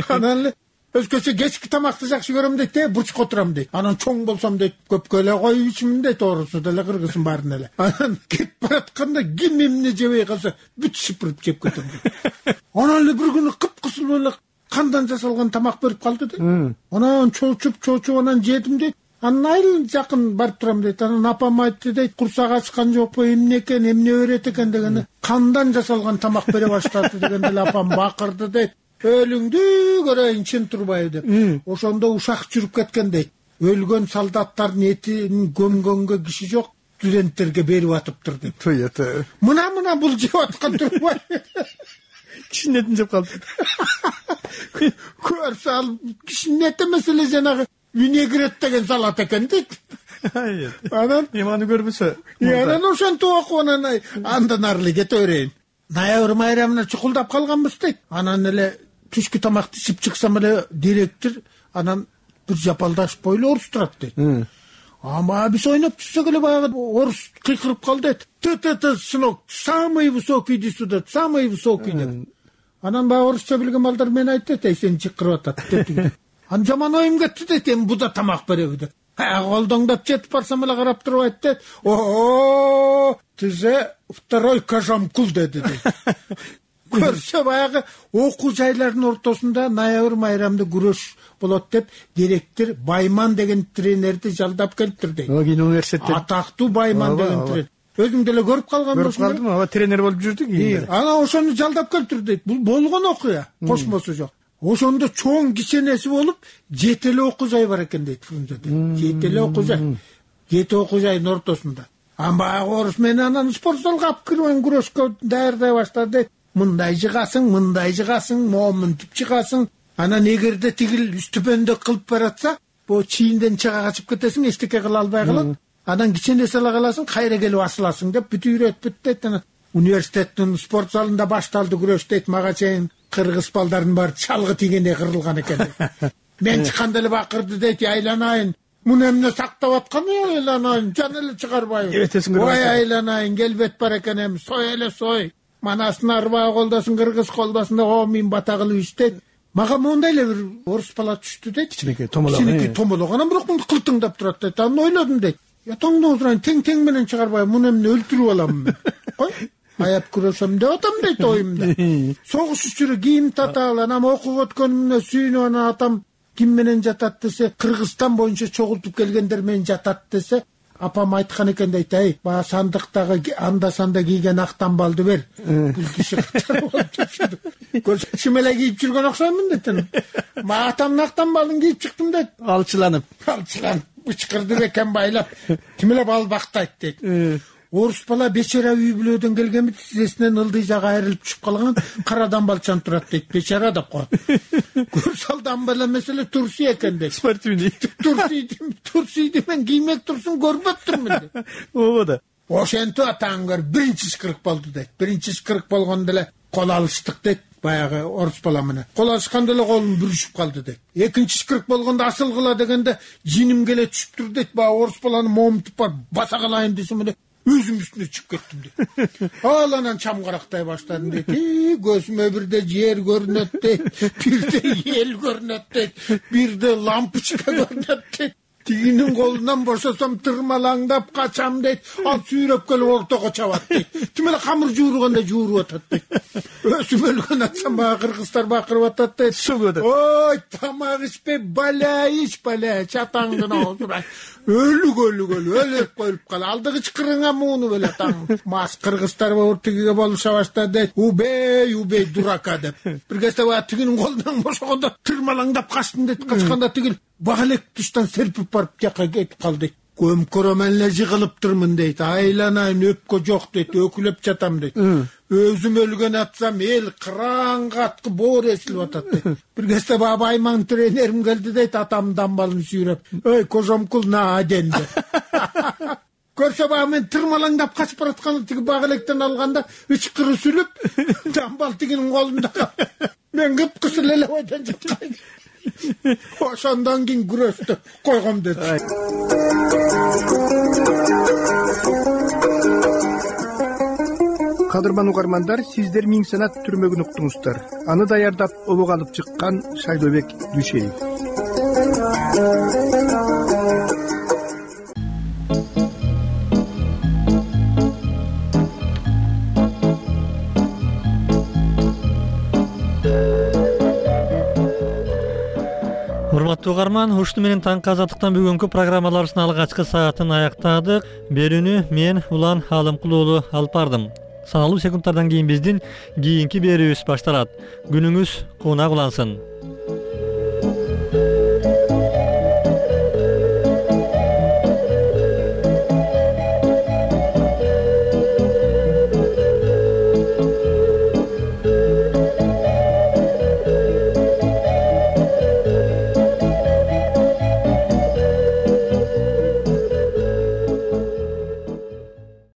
Анан эле өзгөчө кечки тамакты жакшы көрөм дейт, э, бурчка отурам дейт. Анан чоң болсом дейт, көпкө эле коюп ичимин дейт, орусу деле кыргызын баарын эле. Анан кетип баратканда ким эмне жебей калса бүт шыпырып жеп кетем дейт. Анан эле бир күнү кыпкысыл эле кандан жасалган тамак берип калды дейт. Анан чоочуп чоочуп анан жедим дейт. Анан айыл жакын барып турам дейт. Анан апам айтты дейт, курсак ачкан жокпу, эмне экен, эмне берет экен дегенде, кандан жасалган тамак бере баштады дегенде эле апам бакырды дейт. Өлүңдү көрөйүн чын турбайбы деп. Ошондо ушак жүрүп кеткен дейт. Өлгөн солдаттардын этин көмгөнгө киши жок, студенттерге берип атыптыр деп. Мына мына бул жеп аткан турбай. Кишинин этин жеп калды. Көрсө ал кишинин эти эмес эле жанагы винегрет деген салат экен дейт. Анан эманы көрбөсө. Анан ошентип окуп анан андан ары эле кете берейин. Ноябрь майрамына чукулдап калганбыз дейт. Анан эле түшкү тамакты ичип чыксам эле директор анан бир жапалдаш бойлуу орус турат дейт. Ама биз ойноп жүрсөк эле баягы орус кыйкырып калды дейт. Т-т-т сынок, самый высокий иди сюда, самый высокий деп. Анан баягы орусча билген балдар мен айтты дейт, сени чыкырып атат деп. Анан жаман оюм кетти дейт, эми буда тамак береби деп. Колдоңдоп жетип барсам эле карап туруп айтты дейт. О, ты же второй Кажамкул деди дейт. Көрсө баягы окуу жайлардын ортосунда ноябрь майрамда күрөш болот деп директор Байман деген тренерди жалдап келиптир дейт. Кийин университетте атактуу Байман деген тренер. Өзүң деле көрүп калганбы? Көрүп калдым, ага тренер болуп жүрдү кийин. Анан ошону жалдап келиптир дейт. Бул болгон окуя, кошмосу жок. Ошондо чоң киченеси болуп, жети эле окуу жай бар экен дейт Фрунзеде. Жети эле окуу жай. Жети окуу жайдын ортосунда. Ан баягы орус мени анан спорт залга алып кирген күрөшкө даярдай баштады дейт. Мындай жыгасың, мындай жыгасың, момунтип чыгасың. Анан эгерде тигил үстүпөндө кылып баратса, бу чийинден чыга качып кетесиң, эчтеке кыла албай калат. Анан киченеси ала каласың, кайра келип асыласың деп бүт үйрөтүп дейт. Анан университеттин спорт залында башталды күрөш дейт. Мага чейин кыргыз балдардын баары чалгы тигендей кырылган экен. Мен чыкканда эле бакырды дейт, айланайын. Муну эмне сактап аткан, айланайын, жан эле чыгарбайбы. Ой айланайын, келбет бар экен эми, сой эле сой. Манасын арбаа колдосун, кыргыз колдосун деп, о мен бата кылып иштейт. Мага мондай эле бир орус бала түштү дейт. Кичинекей томолок. Кичинекей томолок. Анан бирок муну кылтыңдап турат дейт. Анан ойлодум дейт. Я тоңдоп отурайын, тең-тең менен чыгарбайбы, муну эмне өлтүрүп аламын мен. Кой, аяп күрөсөм деп атам дейт оюмда. Согуш учуру кийин таталы, анан окуп өткөнүмө сүйүнүп, анан атам ким менен жатат десе, Кыргызстан боюнча чогултуп келгендер менен жатат десе, апам айткан экен дейт, ай, баягы сандыктагы анда санда кийген ак тамбалды бер. Бул киши катар болуп жүрдү. Көрсө чимеле кийип жүргөн окшоймун дейт. Ма атамдын ак тамбалын кийип чыктым дейт. Алчыланып. Алчыланып, ычкырды экен байлап. Кимеле бал бактайт дейт. Орус бала бечара үй бүлөдөн келгенби, тизесинен ылдый жагы айрылып түшүп калган, карадан балчан турат дейт. Бечара деп коет. Көрсалдан бала меселе турси экен дейт. Спортивный. Турси, турсиди мен киймек турсун көрбөптүрмүн дейт. Ооба да. Ошентип атаң көр биринчи ышкырык болду дейт. Биринчи ышкырык болгондо эле кол алыштык дейт. Баягы орус бала менен. Кол алышканда эле колум бүрүшүп калды дейт. Экинчи ышкырык болгондо асылгыла дегенде жиним келе түшүптүр дейт. Баягы орус баланы момунтуп барып баса калайын десем эле өзүм үстүнө чыгып кеттим дейт. Ал анан чам карактай баштадым дейт. Көзүмө бирде жер көрүнөт дейт, бирде эл көрүнөт дейт, бирде лампочка көрүнөт дейт. Тигинин колунан бошосом тырмалаңдап качам дейт. Ал сүйрөп келип ортого чабат дейт. Тим эле камыр жуургандай жууруп атат дейт. Өсүп өлгөн атсам баягы кыргыздар бакырып атат дейт. Ой, тамак ичпей баля ич, баля, чатаңдын оозуна. Өлүк өлүк өлүк өлүп коюп кал. Алдыгы чыкырыңа муунуп эле таң. Мас кыргыздар тигиге болуша баштады дейт. Убей, убей дурака деп. Бир кезде баягы тигинин колунан бошогондо тырмалаңдап качтым дейт. Качканда тигил бага элек туштан серпип барып жака кетип калды дейт. көмкөрөмөн эле жыгылыптырмын дейт, айланайын өпкө жок дейт, өкүлөп жатам дейт. Өзүм өлгөн атсам эл кыран каткы боор эсилип атат дейт. Бир кезде баба айман тренерим келди дейт, атамдын дамбалын сүйрөп, ой кожомкул на аденди. Көрсө баа мен тырмалаңдап качып баратканда тиги бак электен алганда ычкыры сүлүп дамбал тигинин колунда мен кыпкысыл эле ойдон жаткан. Ошондон кийин күрөштү койгом деди. Кадырман угармандар, сиздер Миң санат түрмөгүн уктуңуздар. Аны даярдап обого алып чыккан Шайлообек Дүйшеев. Урматтуу угарман, ушуну менен таңкы азаттыктан бүгүнкү программаларыбыздын алгачкы саатын аяктадык. Берүүнү мен Улан Алымкул уулу алып бардым. Саналуу секундтардан кийин биздин кийинки берүүбүз башталат. Күнүңүз кунак улансын.